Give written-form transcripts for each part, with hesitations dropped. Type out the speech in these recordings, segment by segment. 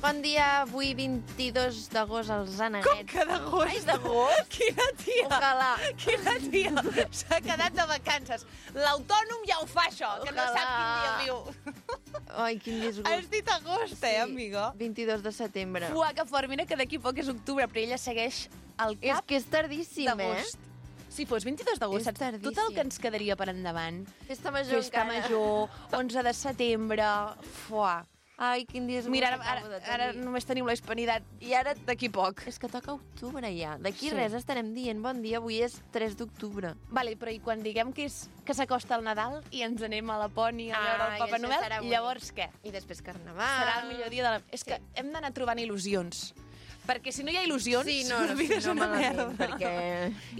Bon dia, avui 22 d'agost als Aneguets. Com que d'agost? Ai, d'agost? Quina tia! Ojalà. Quina tia! S'ha quedat de vacances. L'autònom ja ho fa, això, que no Ojalà. sap quin dia viu. Ai, quin disgust. Has dit agost, amigo? 22 de setembre. Fuà, que fort. Mira que d'aquí poc és octubre, però ella segueix al És cap que és tardíssim, d'agost. Si fos 22 d'agost, És saps tot el tardíssim. que ens quedaria per endavant? Festa major Festa encara. major, 11 de setembre... Fuà. Ai, quin disgust. Mira, acabo de ara tenir. només tenim la hispanitat. I ara d'aquí poc. És que toca octubre ja. D'aquí Sí. res estarem dient bon dia, avui és 3 d'octubre. Vale, però i quan diguem que s'acosta el Nadal i ens anem a Lapònia a veure el Papa Noel, llavors què? I després Carnaval. Serà el millor dia de la... És que hem d'anar trobant il·lusions. Perquè si no hi ha il·lusions, la vida és una merda. Perquè...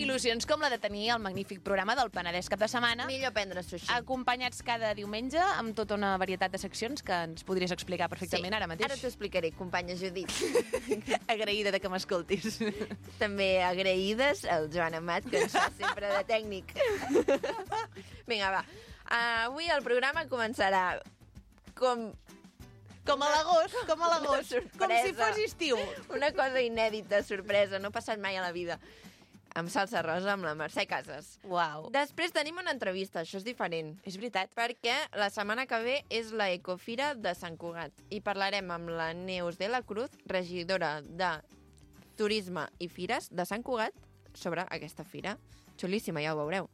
Il·lusions com la de tenir el magnífic programa del Penedès cap de setmana, Millor prendre sushi. acompanyats cada diumenge amb tota una varietat de seccions que ens podries explicar perfectament ara mateix. Ara t'ho explicaré, companya Judit. Agraïda de que m'escoltis. També agraïdes al Joan Amat, que ens fa sempre de tècnic. Vinga, va. Avui el programa començarà Com a l'agost, com a l'agost. Una Com si sorpresa. fos estiu. una cosa inèdita, sorpresa, no ha passat mai a la vida. Amb salsa rosa, amb la Mercè Casas. Uau. Després tenim una entrevista, això és diferent. És veritat. Perquè la setmana que ve és la Ecofira de Sant Cugat i parlarem amb la Neus de la Cruz, regidora de Turisme i Fires de Sant Cugat, sobre aquesta fira. Xulíssima, ja ho veureu.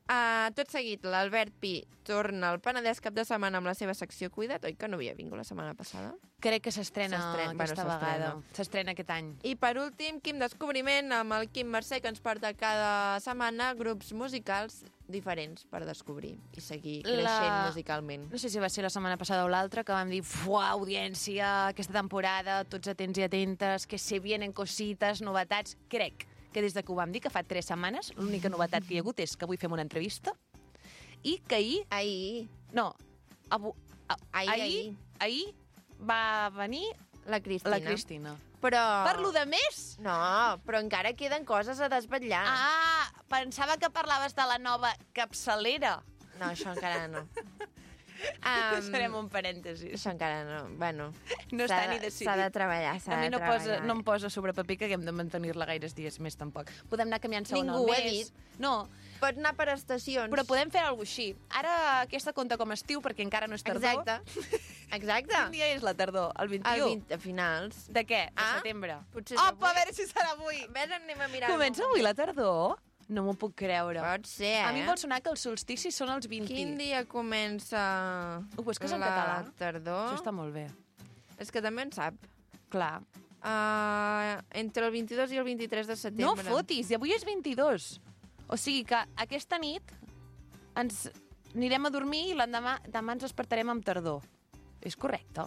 Tot seguit, l'Albert Pi torna al Penedès cap de setmana amb la seva secció Cuida't, oi que no havia vingut la setmana passada? Crec que s'estrena aquesta Bueno, vegada. S'estrena aquest any. I per últim, Quim Descobriment, amb el Quim Mercè, que ens porta cada setmana grups musicals diferents per descobrir i seguir creixent musicalment. No sé si va ser la setmana passada o l'altra, que vam dir, fuà, audiència, aquesta temporada, tots atents i atentes, que se vienen cosites, novetats. Crec que des de que ho vam dir, que fa 3 setmanes, l'única novetat que hi ha hagut és que avui fem una entrevista i que Ahir ahir va venir la Cristina. la Cristina. Però... Per lo de més? No, però encara queden coses a desvetllar. Ah, pensava que parlaves de la nova capçalera. No, això encara no. Farem un parèntesis. Això encara no. Bueno, No està ni decidit. S'ha de treballar, A mi no em posa sobre paper que haguem de mantenir-la gaires dies més, tampoc. Podem anar canviant segona Ningú al ho ha mes. dit. No, Pot anar per estacions. però podem fer alguna cosa així. Ara aquesta compta com a estiu, perquè encara no és tardor. Exacte. Exacte. Quin dia és la tardor? El 21? El 20, a finals. De què? De Ah, setembre. potser és Opa, avui. a veure si serà avui. Ves, anem a mirar. Comença avui la tardor? No m'ho puc creure. Pot ser, A mi em vol sonar que els solsticis són els 20. Quin dia comença Ho busques en la català? tardor? Això està molt bé. És que també en sap. Clar. Entre el 22 i el 23 de No setembre. fotis, i avui és 22. O sigui que aquesta nit ens anirem a dormir i l'endemà demà ens despertarem amb tardor. És correcte.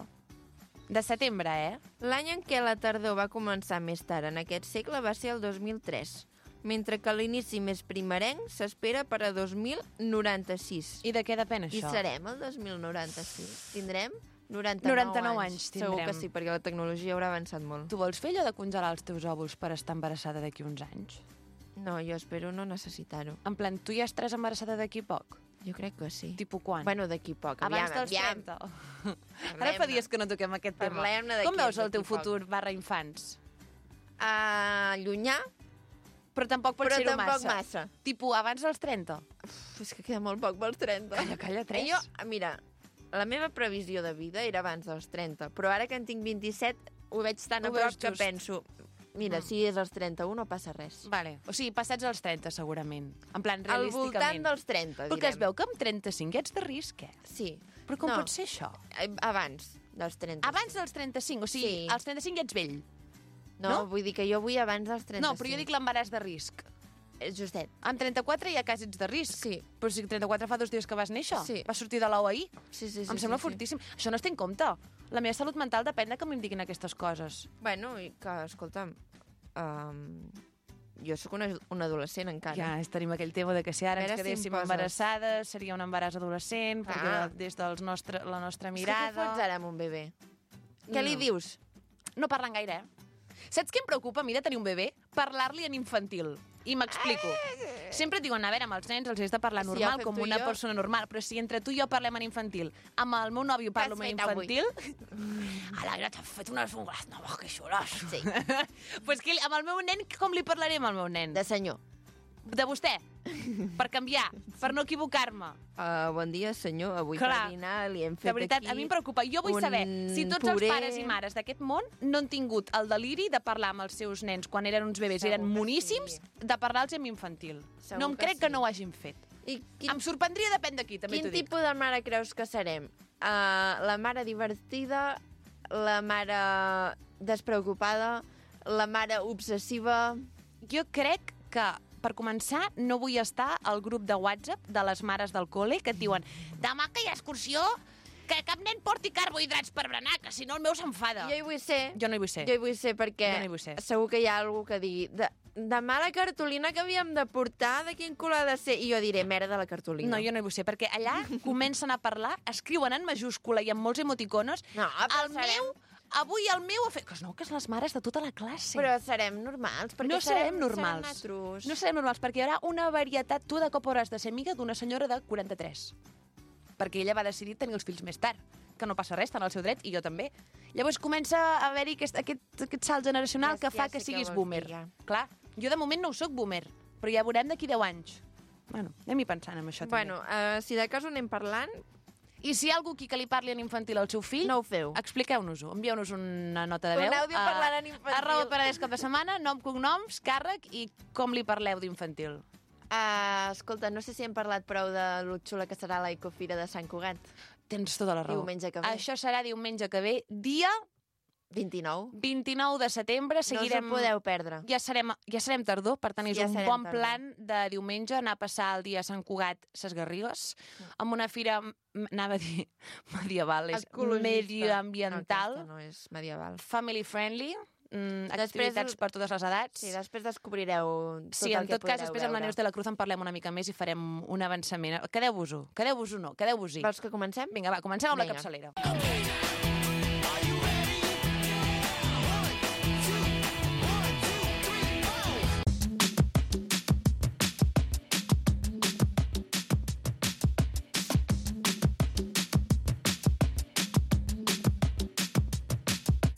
De setembre, eh? L'any en què la tardor va començar més tard en aquest segle va ser el 2003, mentre que l'inici més primerenc s'espera per a 2096. I de què depèn I això? serem el 2096. Tindrem 99 anys Segur tindrem. que sí, perquè la tecnologia haurà avançat molt. Tu vols fer allò de congelar els teus òvuls per estar embarassada d'aquí uns anys? No, jo espero no necessitar-ho. En plan, tu ja estaràs embarassada d'aquí poc? Jo crec que sí. Tipus quan? Bueno, d'aquí poc. Abans dels 30. Ara fa dies que no toquem aquest tema. Parlem-ne d'aquí, Com veus el teu d'aquí poc. futur barra infants? Llunyà, Però tampoc pot però ser-ho tampoc massa. massa. Tipus abans dels 30. És que queda molt poc pels 30. Calla, 3. Jo, mira, la meva previsió de vida era abans dels 30, però ara que en tinc 27 ho veig tan Ho a prop veus que just. penso, mira, si és als 31 no passa res. Vale. O sigui, passats els 30, segurament. En plan, Al realísticament. voltant dels 30, direm. Perquè es veu que amb 35 ja ets de risc, eh? Sí. Però com No, pot ser això? Abans dels 30. Abans dels 35, o sigui, Sí. als 35 ja ets vell. No, no? vull dir que jo vull abans dels 35. No, però jo dic l'embaràs de risc. Justet. Amb 34 ja quasi ets de risc. Sí. Però si 34 fa 2 dies que vas néixer. Sí. Vas sortir de l'ou ahir. Sí, sí, sí. Em sembla sí, fortíssim. Això no es té en compte. La meva salut mental depèn de que em diguin aquestes coses. Sí. Bueno, i que, escolta'm, jo sóc una adolescent encara. Ja, tenim aquell tema de que si ara A ens veure si em quedéssim poses. embarassades seria un embaràs adolescent, perquè des de la nostra És que què mirada... fots ara amb un bebè? Què li No. dius? No parlen gaire, eh? Saps què em preocupa a mi de tenir un bebè? Parlar-li en infantil. I m'explico. Sempre et diuen, a veure, amb els nens els has de parlar Si normal, ja ho fem com tu i una jo. persona normal, però si entre tu i jo parlem en infantil, amb el meu nòvio parlo en infantil... Alegre, t'has fet unes ungles noves, que xules. Sí. Pues que amb el meu nen, com li parlaré amb el meu nen? De senyor. De vostè. Per canviar, per no equivocar-me. Bon dia, senyor. Avui Clar. per dinar li hem fet De veritat, aquí a mi em preocupa. Jo vull un saber si tots puré. els pares i mares d'aquest món no han tingut el deliri de parlar amb els seus nens quan eren uns bebès i eren Segur que moníssims, sí. de parlar-los en infantil. Segur No em que crec sí. que no ho hagin fet. I Em sorprendria, depèn d'aquí, també quin t'ho dic. tipus de mare creus que serem? La mare divertida, la mare despreocupada, la mare obsessiva... Jo crec que, per començar, no vull estar al grup de WhatsApp de les mares del col·le que et diuen demà que hi ha excursió, que cap nen porti carbohidrats per berenar, que si no el meu s'enfada. Jo hi vull ser. Jo no hi vull ser. Jo hi vull ser perquè Jo no hi vull ser. segur que hi ha algú que digui demà la cartolina que havíem de portar, de quin color ha de ser? I jo diré, merda, la cartolina. No, jo no hi vull ser, perquè allà comencen a parlar, escriuen en majúscula i amb molts emoticonos. No, però El meu, avui el meu ha fet... Que no, que és les mares de tota la classe. Però serem normals, perquè no serem normals. Serem natros. No serem normals, perquè hi haurà una varietat. Tu de cop hauràs de ser amiga d'una senyora de 43. Perquè ella va decidir tenir els fills més tard, que no passa res, està en el seu dret, i jo també. Llavors comença a haver-hi aquest salt generacional que fa que siguis boomer. Clar, jo de moment no ho soc boomer, però ja veurem d'aquí 10 anys. Bueno, anem-hi pensant en això també. Bueno, si de cas ho anem parlant, I si hi ha algú aquí que li parli en infantil al seu fill, no ho feu. expliqueu-nos-ho. Envieu-nos una nota de Un veu. àudio parlant en infantil. @paradès cap de setmana, nom, cognoms, càrrec i com li parleu d'infantil. Escolta, no sé si hem parlat prou de lo xula que serà la Ecofira de Sant Cugat. Tens tota la raó. Diumenge que ve. Això serà diumenge que ve, dia 29. 29 de setembre. Seguirem... No us ho podeu perdre. Ja serem tardor, per tant és Ja un serem bon tardor. plan de diumenge anar a passar el dia a Sant Cugat, ses Garrigues, amb una fira, anava a dir medieval, és Ecologista. medioambiental, No, aquesta no és medieval. family friendly, Després- activitats per totes les edats. Sí, després descobrireu tot Sí, el en que tot cas, podreu després amb la veure. Neus de la Cruz en parlem una mica més i farem un avançament. Quedeu-vos-ho. Quedeu-vos-ho no, quedeu-vos-hi. Vols que comencem? Vinga, va, comencem amb la Vinga. capçalera.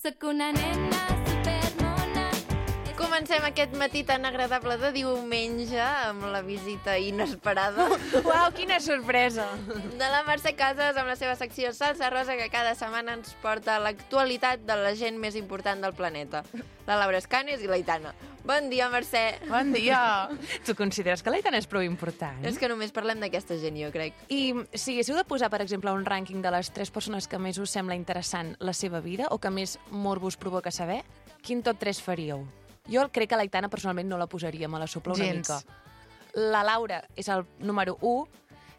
Sóc una nena supermona. Comencem aquest matí tan agradable de diumenge amb la visita inesperada Uau, quina sorpresa! de la Mercè Casas amb la seva secció Salsa Rosa, que cada setmana ens porta l'actualitat de la gent més important del planeta. La Laura Escanes i l'Aitana. Bon dia, Mercè. Bon dia! Tu consideres que l'Aitana és prou important? És que només parlem d'aquesta gent, jo crec. I si haguéssiu de posar, per exemple, un rànquing de les 3 persones que més us sembla interessant la seva vida o que més morbo us provoca saber, quin top 3 faríeu? Jo crec que l'Aitana personalment no la posaria, me la sopla una Gens. mica. La Laura és el número 1.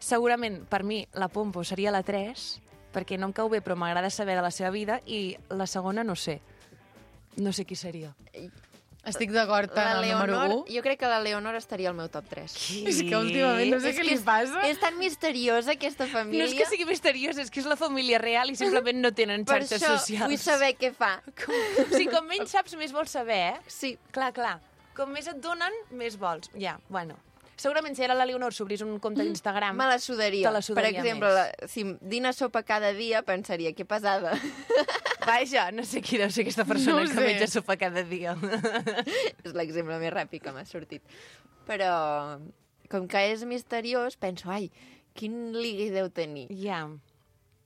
Segurament, per mi, la Pompo seria la 3, perquè no em cau bé, però m'agrada saber de la seva vida, i la segona no sé. No sé qui seria. Estic d'acord La amb el número Leonor, 1. jo crec que la Leonor estaria al meu top 3. És que últimament no sé què li passa. És tan misteriosa, aquesta família. No és que sigui misteriós, és que és la família real i simplement no tenen Per xarxes això socials. vull saber què fa. O sigui, com menys saps, més vols saber, eh? Sí. Clar, clar. Com més et donen, més vols. Ja, bueno. Segurament si ara la Leonor s'obrís un compte d'Instagram... Me la sudaria. Te la sudaria per exemple, més. si dina sopa cada dia, pensaria, que pesada. Vaja, no sé qui deu ser aquesta persona No ho que sé. menja sopa cada dia. És l'exemple més ràpid que m'ha sortit. Però, com que és misteriós, penso, ai, quin ligui deu tenir? Ja.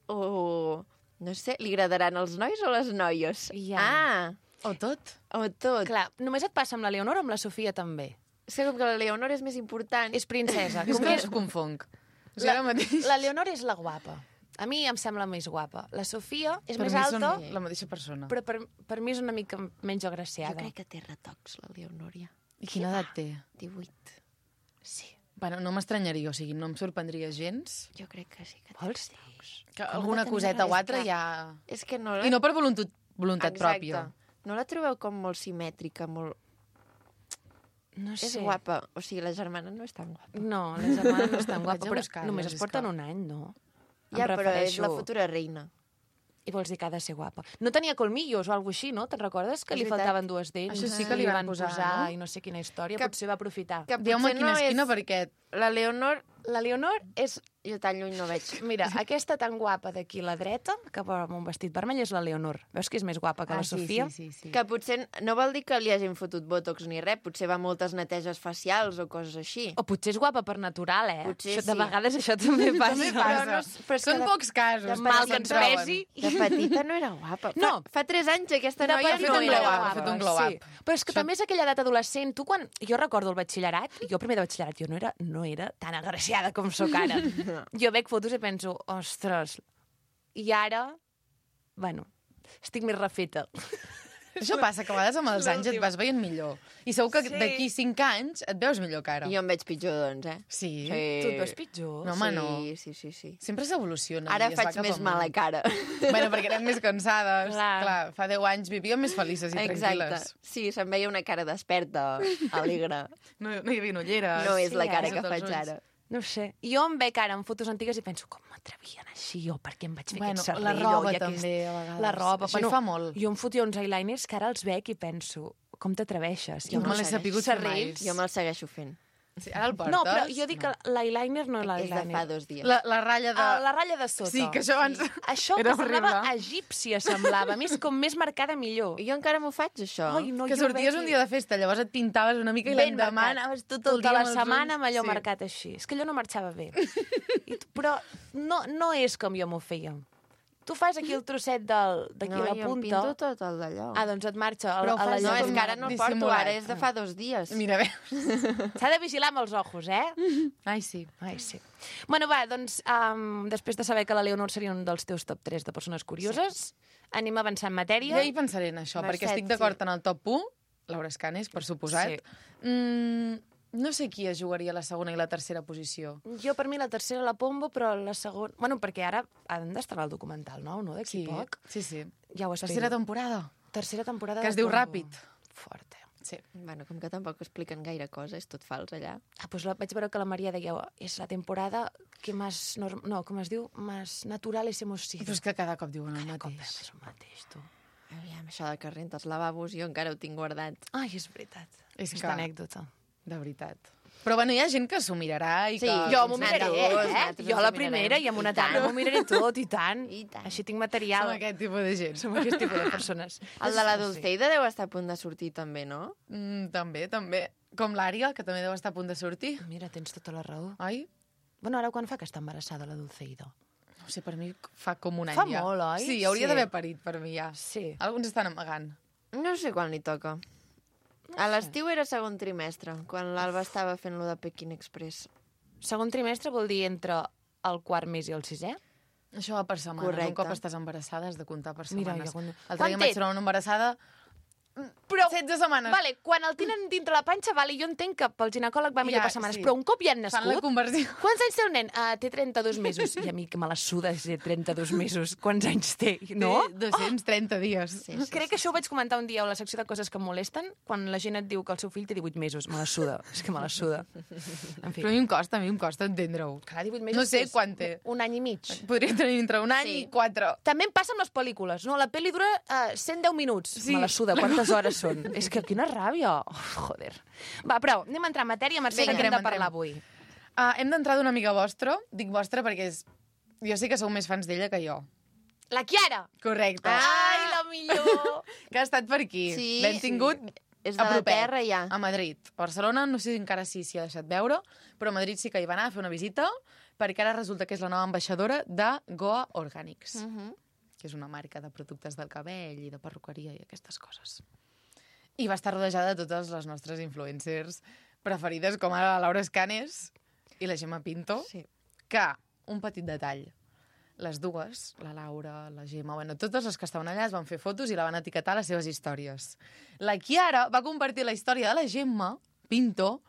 O, no sé, li agradaran els nois o les noies? Ja. Ah, O tot. o tot. Clar, només et passa amb la Leonor o amb la Sofia també? És que com que la Leonor és més important... És princesa. És Com que que ho confonc. O sigui, ara mateix... la Leonor és la guapa. A mi em sembla més guapa. La Sofia és per més mi alta, són la mateixa persona. però per mi és una mica menys Jo agraciada. crec que té retocs, la Leonòria. I quina edat té? 18. Sí. Bueno, no m'estranyaria, o sigui, no em sorprendria gens. Jo crec que sí que té Vols dir? retocs. Que Com alguna no tenir coseta res, o altra clar. ja... És que no... I no per voluntat Exacte. pròpia. No la trobeu com molt simètrica, molt... No sé. És guapa. O sigui, la germana no és tan guapa. No, la germana no és tan guapa, Vaig a però buscar-les, només es és porten que- un any, no? Ja, Em però és refereixo- la futura reina. i vols dir que ha de ser guapa. No tenia colmillos o alguna així, no? Te'n recordes? Que És li veritat. faltaven dues dents. Això sí que li van posar, no? I no sé quina història. Que- Potser va aprofitar. Que Dieu-me potser quina no esquina és... perquè... La Leonor, La Leonor és... jo tan lluny no veig. Mira, aquesta tan guapa d'aquí a la dreta, que porta amb un vestit vermell, és la Leonor. Veus que és més guapa que la Sofia? Sí. Que potser no vol dir que li hagin fotut botox ni res, potser va a moltes neteges facials o coses així. O potser és guapa per natural, eh? Potser Això, de sí. vegades això també passa. També Però passa. no és- però és que Són de- pocs casos. de Mal se'n que ens troben. pesi. De petita no era guapa. No. Fa 3 anys aquesta De noia petita no un era glow up, guapa. ha fet un glow up. Sí. Però és que també és aquella edat adolescent. Tu quan... Jo recordo el batxillerat, jo primer de batxillerat, jo no era tan agraciada com sóc ara. Jo veig fotos i penso, ostres, i ara, bueno, estic més refeta. Això passa, que a vegades amb els anys et vas veient millor. I segur que Sí. d'aquí 5 anys et veus millor que ara. Jo em veig pitjor, doncs, eh? Sí? Tu et veus pitjor? No, home, no. Sí. Sempre s'evoluciona. Ara i es va faig cap més amunt. mala cara. Bueno, perquè érem més cansades. Clar. Clar, fa 10 anys vivíem més felices i Exacte. tranquil·les. Sí, se'm veia una cara desperta, alegre. No hi havia ulleres. No és Sí, la cara eh? que Sota els faig ulls. ara. No ho sé. Jo em veig ara en fotos antigues i penso, com m'atrevien així, o per què em vaig fer Bueno, aquest serrell? la roba i també, a vegades. La roba. Això hi fa molt. Jo em fotia uns eyeliners que ara els veig i penso, com t'atreveixes? Jo no me l'he sabut fer mai. Serrells. Jo me'l segueixo fent. Sí, ara el portes? No, però jo dic que l'eyeliner no És de l'eyeliner. fa 2 dies. La ratlla de... La ratlla de sota. Sí, que això abans... Això Era que semblava horrible. egípcia, semblava. A més, com més marcada, millor. Jo encara m'ho faig, això. Ai, no, Que jo sorties veig un dia de festa, llavors et pintaves una mica i ben l'endemà marcat. anaves tot el dia Tota la amb els setmana ulls. amb allò Sí. marcat així. És que allò no marxava bé. Però no és com jo m'ho feia. Tu fas aquí el trosset d'aquí No, a la jo em punta. pinto tot el d'allò. Ah, doncs et marxa Però ho a la fas no, llum. és que ara no el porto, dissimulat. ara és de fa 2 dies. Mira, bé. S'ha de vigilar amb els ojos, eh? Ai, sí. Ai, sí. Bueno, va, doncs, després de saber que la Leonor seria un dels teus top 3 de persones curioses, anem a avançar en matèria. Jo hi pensaré en això, Mercè, perquè estic d'acord en el top 1, Laura Escanes, per suposat. Sí. No sé qui es jugaria la segona i la tercera posició. Jo, per mi, la tercera la Pombo, però la segona... Bueno, perquè ara han d'estar al documental nou, no? D'aquí poc. Sí, sí. Ja ho espero. Tercera temporada. Tercera temporada Que es de diu Pombo. Ràpid. Fort, eh? Sí. Bueno, com que tampoc expliquen gaire cosa, és tot fals allà. Ah, doncs vaig veure que la Maria deia és la temporada que més... No, com es diu? Més naturales hemos sido. Però és que cada cop diuen el Cop mateix. és el mateix, tu. Aviam, això de que rentes lavabos, jo encara ho tinc guardat. Ai, és veritat. És Aquesta que- anècdota. De veritat. Però bueno, hi ha gent que s'ho mirarà i Sí, que... Jo m'ho miraré, nosaltres Jo ens la ho primera mirarem. i amb una I tant. tana m'ho miraré tot, i tant. I tant. Així tinc Som material. aquest tipus de gent. Som aquest tipus de persones. El de la Dulceida deu estar a punt de sortir també, no? També. Com l'Ària, que també deu estar a punt de sortir. Mira, tens tota la raó. Oi? Bueno, ara quan fa que està embarassada la Dulceida? No sé, per mi fa com un any Fa ja. molt, oi? Sí, hauria Sí. d'haver parit per mi ja. Sí. Alguns estan amagant. No sé quan li toca. A l'estiu era segon trimestre, quan l'Alba estava fent lo de Peking Express. Segon trimestre vol dir entre el quart mes i el sisè? Això va per setmanes. Correcte. Un cop estàs embarassada has de comptar per Mira, setmanes. jo quan- L'altre dia em vaig trobar una embarassada Però, 16 setmanes. Vale, quan el tenen dintre la panxa, vale, jo entenc que pel ginecòleg va millor Ja, per setmanes, sí. però un cop ja han Fan la nascut... conversió. Quants anys té el nen? Té 32 mesos. I a mi que me la suda si té 32 mesos. Quants anys té, no? Té 230 dies. Sí, Crec que això ho vaig comentar un dia a la secció de coses que em molesten, quan la gent et diu que el seu fill té 18 mesos. Me la suda. És que me la suda. En fi. Però a mi em costa entendre-ho. Clar, 18 mesos No sé que és quan té. Un any i mig. Podria tenir entre un any Sí. i 4. També em passa amb les pel·lícules, no? La pel·li dura 110 minuts. Sí. Me la suda. Quantes hores són? És que quina ràbia. Oh, joder. Va, però anem a entrar en matèria. Mercè, Vinga, de què hem de entrem. parlar avui? Hem d'entrar d'una amiga vostra. Dic vostra perquè jo sé que sou més fans d'ella que jo. La Chiara! Correcte. Ai, la millor! Que ha estat per aquí. Sí, L'hem tingut És a de la propet, terra, ja. a Madrid. A Barcelona no sé encara si s'hi ha deixat veure, però a Madrid sí que hi va anar a fer una visita, perquè ara resulta que és la nova ambaixadora de Goa Organics, que és una marca de productes del cabell i de perruqueria i aquestes coses. I va estar rodejada de totes les nostres influencers preferides, com ara la Laura Escanes i la Gemma Pinto, Sí. que, un petit detall, les dues, la Laura, la Gemma, bueno, totes les que estaven allà es van fer fotos i la van etiquetar a les seves històries. La Chiara va compartir la història de la Gemma Pinto,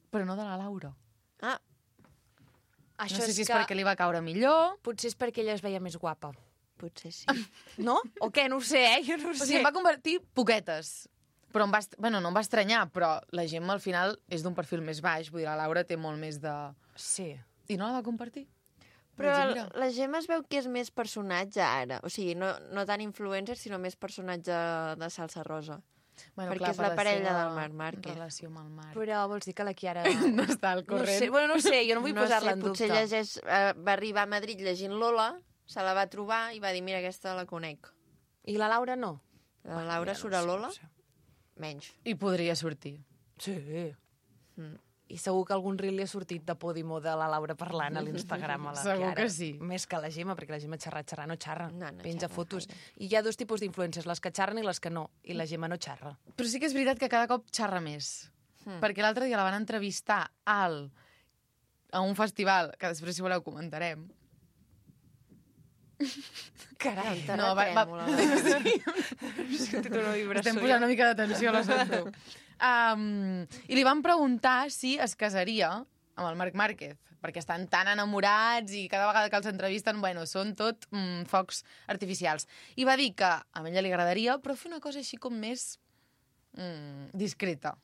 però no de la Laura. Ah, Això No sé si és que perquè li va caure millor. potser és perquè ella es veia més guapa. potser sí. No? O què? No ho sé, Jo no ho O sé. sigui, em va convertir poquetes. Però bueno, no em va estranyar, però la Gemma al final és d'un perfil més baix, vull dir, la Laura té molt més de... Sí. I no la va compartir? Però Vaig dir, mira. la Gemma es veu que és més personatge ara. O sigui, no tant influencer, sinó més personatge de salsa rosa. Bueno, perquè és la parella del Marc Márquez. Relació amb el Marc. Però vols dir que la Chiara... No està al No corrent. sé, bueno, no sé, jo no vull posar-la en potser dubte. llegeix, va arribar a Madrid llegint Lola, se la va trobar i va dir, mira, aquesta la conec. I la Laura no? La Laura surt a Lola? Menys. I podria sortir. Sí. Mm. I segur que algun reel li ha sortit de Podimo de la Laura parlant a l'Instagram a la Segur Chiara. que sí. Més que la Gemma, perquè la Gemma xerrar no xerra. No Penja xerra fotos. gaire. I hi ha dos tipus d'influencers, les que xerren i les que no. I la Gemma no xerra. Però sí que és veritat que cada cop xerra més. Perquè l'altre dia la van entrevistar a un festival, que després, si voleu, comentarem. Carai. No, Estem posant una mica d'atenció, la sento. I li van preguntar si es casaria amb el Marc Márquez, perquè estan tan enamorats i cada vegada que els entrevisten, bueno, són tot focs artificials. I va dir que a ella li agradaria, però fer una cosa així com més discreta.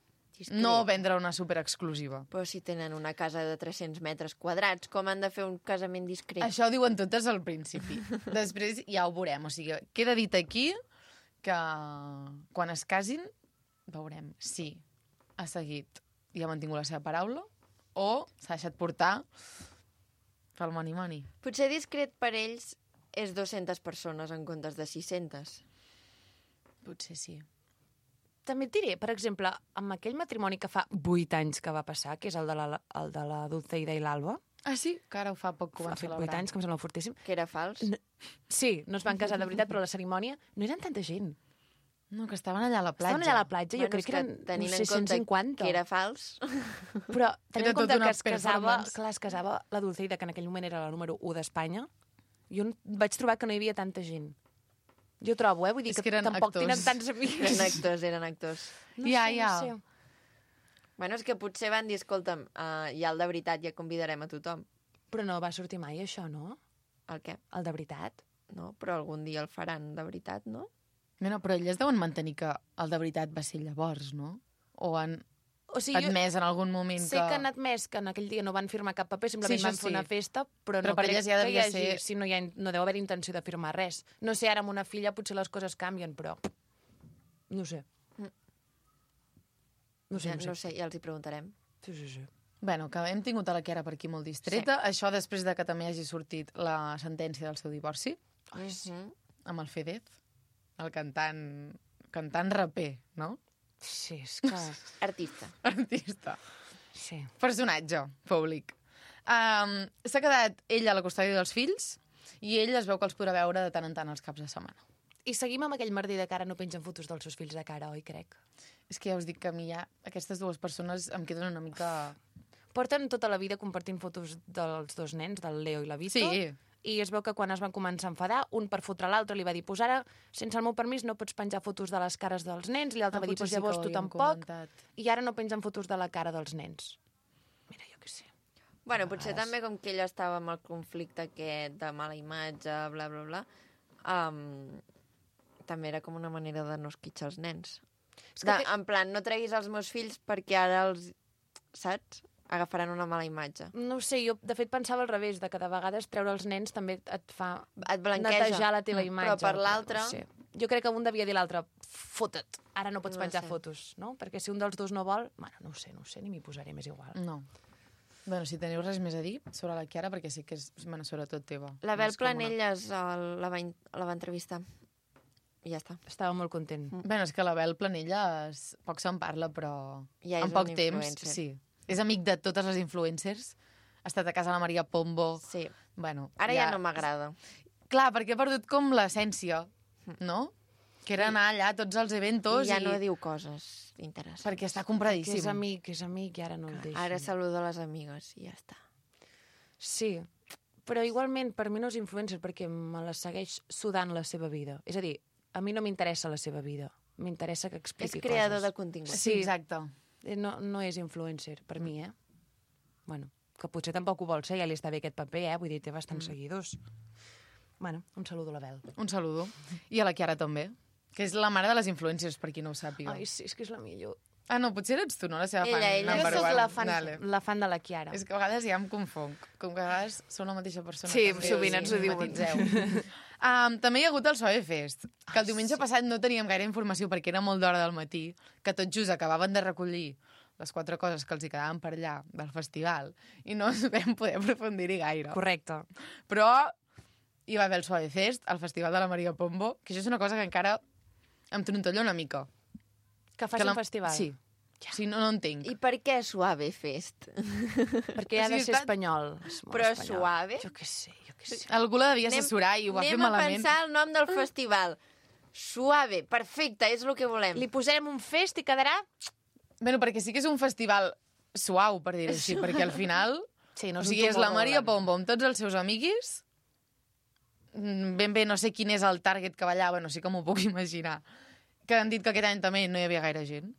No vendre una superexclusiva. Però si tenen una casa de 300 metres quadrats, com han de fer un casament discret? Això ho diuen totes al principi. Després ja ho veurem. O sigui, queda dit aquí que quan es casin veurem si ha seguit i ha mantingut la seva paraula o s'ha deixat portar pel money. Potser discret per ells és 200 persones en comptes de 600. Potser sí. També et diré, per exemple, amb aquell matrimoni que fa 8 anys que va passar, que és el de la Dulceida i l'Alba. Ah, sí? Que ara ho fa poc que ho Ha van fet celebrar. 8 anys, que em sembla fortíssim. Que era fals. Sí, no es van casar de veritat, però la cerimònia no eren tanta gent. No, que estaven allà a la platja. Estaven allà a la platja, jo Bueno, crec és que eren tenint uns en compte 650. que era fals. Però tenint Era en compte tota una que es casava, performance. clar, es casava la Dulceida, que en aquell moment era la número 1 d'Espanya, jo vaig trobar que no hi havia tanta gent. Jo trobo, vull dir És que que eren tampoc actors. tenen tants amics. Eren actors. No Ja, sé, ja. No sé. Bueno, és que potser van dir, escolta'm, ja el de veritat ja convidarem a tothom. Però no va sortir mai això, no? El què? El de veritat. No, però algun dia el faran de veritat, no? Bueno, però elles deuen mantenir que el de veritat va ser llavors, no? O han O sigui, admès en algun moment sé que... que han admès que en aquell dia no van firmar cap paper, simplement Sí, van això fer una sí. festa, però Però no per crec elles ja que hi devia hagi... ser- Si no deu haver intenció de firmar res. No sé, ara amb una filla potser les coses canvien, però... No sé. No sé, No sé, ja els hi preguntarem. Sí. Bueno, que hem tingut a la Chiara per aquí molt distreta. Sí. Això després de que també hagi sortit la sentència del seu divorci amb el Fedez, el cantant raper, no? Sí, és que... Artista. Artista. Sí. Personatge públic. S'ha quedat ell a la custòdia dels fills i ell es veu que els podrà veure de tant en tant els caps de setmana. I seguim amb aquell merder de cara, no pengen fotos dels seus fills de cara, oi, crec? És que ja us dic que a mi ja aquestes dues persones em queden una mica... Porten tota la vida compartint fotos dels dos nens, del Leo i la Vito. Sí. I es veu que quan es van començar a enfadar, un per fotre l'altre li va dir, pues ara, sense el meu permís, no pots penjar fotos de les cares dels nens, i l'altre va dir, pues llavors tu tampoc, i ara no pengen fotos de la cara dels nens. Mira, jo què sé. Bueno, potser també com que ella estava amb el conflicte aquest de mala imatge, bla, bla, bla, també era com una manera de no esquitxar els nens. En plan, no treguis els meus fills perquè ara els... Saps? Agafaran una mala imatge. No ho sé, jo de fet pensava al revés, de que de vegades treure els nens també et fa Et blanqueja. netejar la teva imatge. Però per l'altre... No sé. Jo crec que un devia dir l'altre, fota't, ara no pots No penjar sé. fotos, no? Perquè si un dels dos no vol, bueno, no ho sé, ni m'hi posaré més igual. No. Bueno, si teniu res més a dir sobre la Chiara, perquè sí que és, bueno, sobretot teva. La Bel És com una- Planelles la va entrevistar. I ja està. Estava molt content. Bueno, és que la Bel Planelles poc se'n parla, però Ja és en poc un temps, influencer. sí. És amic de totes les influencers. Ha estat a casa de la Maria Pombo. Sí. Bueno, Ara ja no m'agrada. Clar, perquè ha perdut com l'essència, no? Que era anar allà a tots els eventos I ja no diu coses interessants. perquè està Que compradíssim. és amic, i ara no el deixa. Ara saluda les amigues i ja està. Sí, però igualment per mi no és influencer perquè me la segueix sudant la seva vida. És a dir, a mi no m'interessa la seva vida, m'interessa que És expliqui creador coses. de contingut. Sí, exacte. No és influencer, per mi, Bueno, que potser tampoc ho vol ser, ja li està bé aquest paper, Vull dir, té bastants seguidors. Bueno, un saludo a la Bel. Un saludo. I a la Chiara també, que és la mare de les influencers, per qui no ho sàpiga. Ai, sí, és que és la millor. Ah, no, potser eres tu, no? La seva Ella, fan ella. number Jo sóc one. la Vale. fan de la Chiara. És que a vegades ja em confonc. Com que a vegades són la mateixa persona. Sí, també, sovint ens ho diuen. matitzeu. També hi ha hagut el Soe Fest, que el diumenge passat no teníem gaire informació perquè era molt d'hora del matí, que tot just acabaven de recollir les 4 coses que els hi quedaven per allà del festival i no ens vam poder aprofundir-hi gaire. Correcte. Però hi va haver el Soe Fest, el festival de la Maria Pombo, que això és una cosa que encara em trontolla una mica. Que faci un festival. Sí. Sí, no entenc. I per què Suave Fest? Perquè ha de ser espanyol. És molt Però espanyol. Suave? Jo què sé. Algú la devia assessorar i ho va fer malament. Anem a pensar el nom del festival. Suave, perfecte, és el que volem. Li posarem un fest i quedarà... Bueno, perquè sí que és un festival suau, per dir-ho així, perquè al final... Sí, no o sigui, és la Maria Pombo amb tots els seus amiguis. Ben bé, no sé quin és el target que va allà, bueno, sí que m'ho puc imaginar. Que han dit que aquest any també no hi havia gaire gent.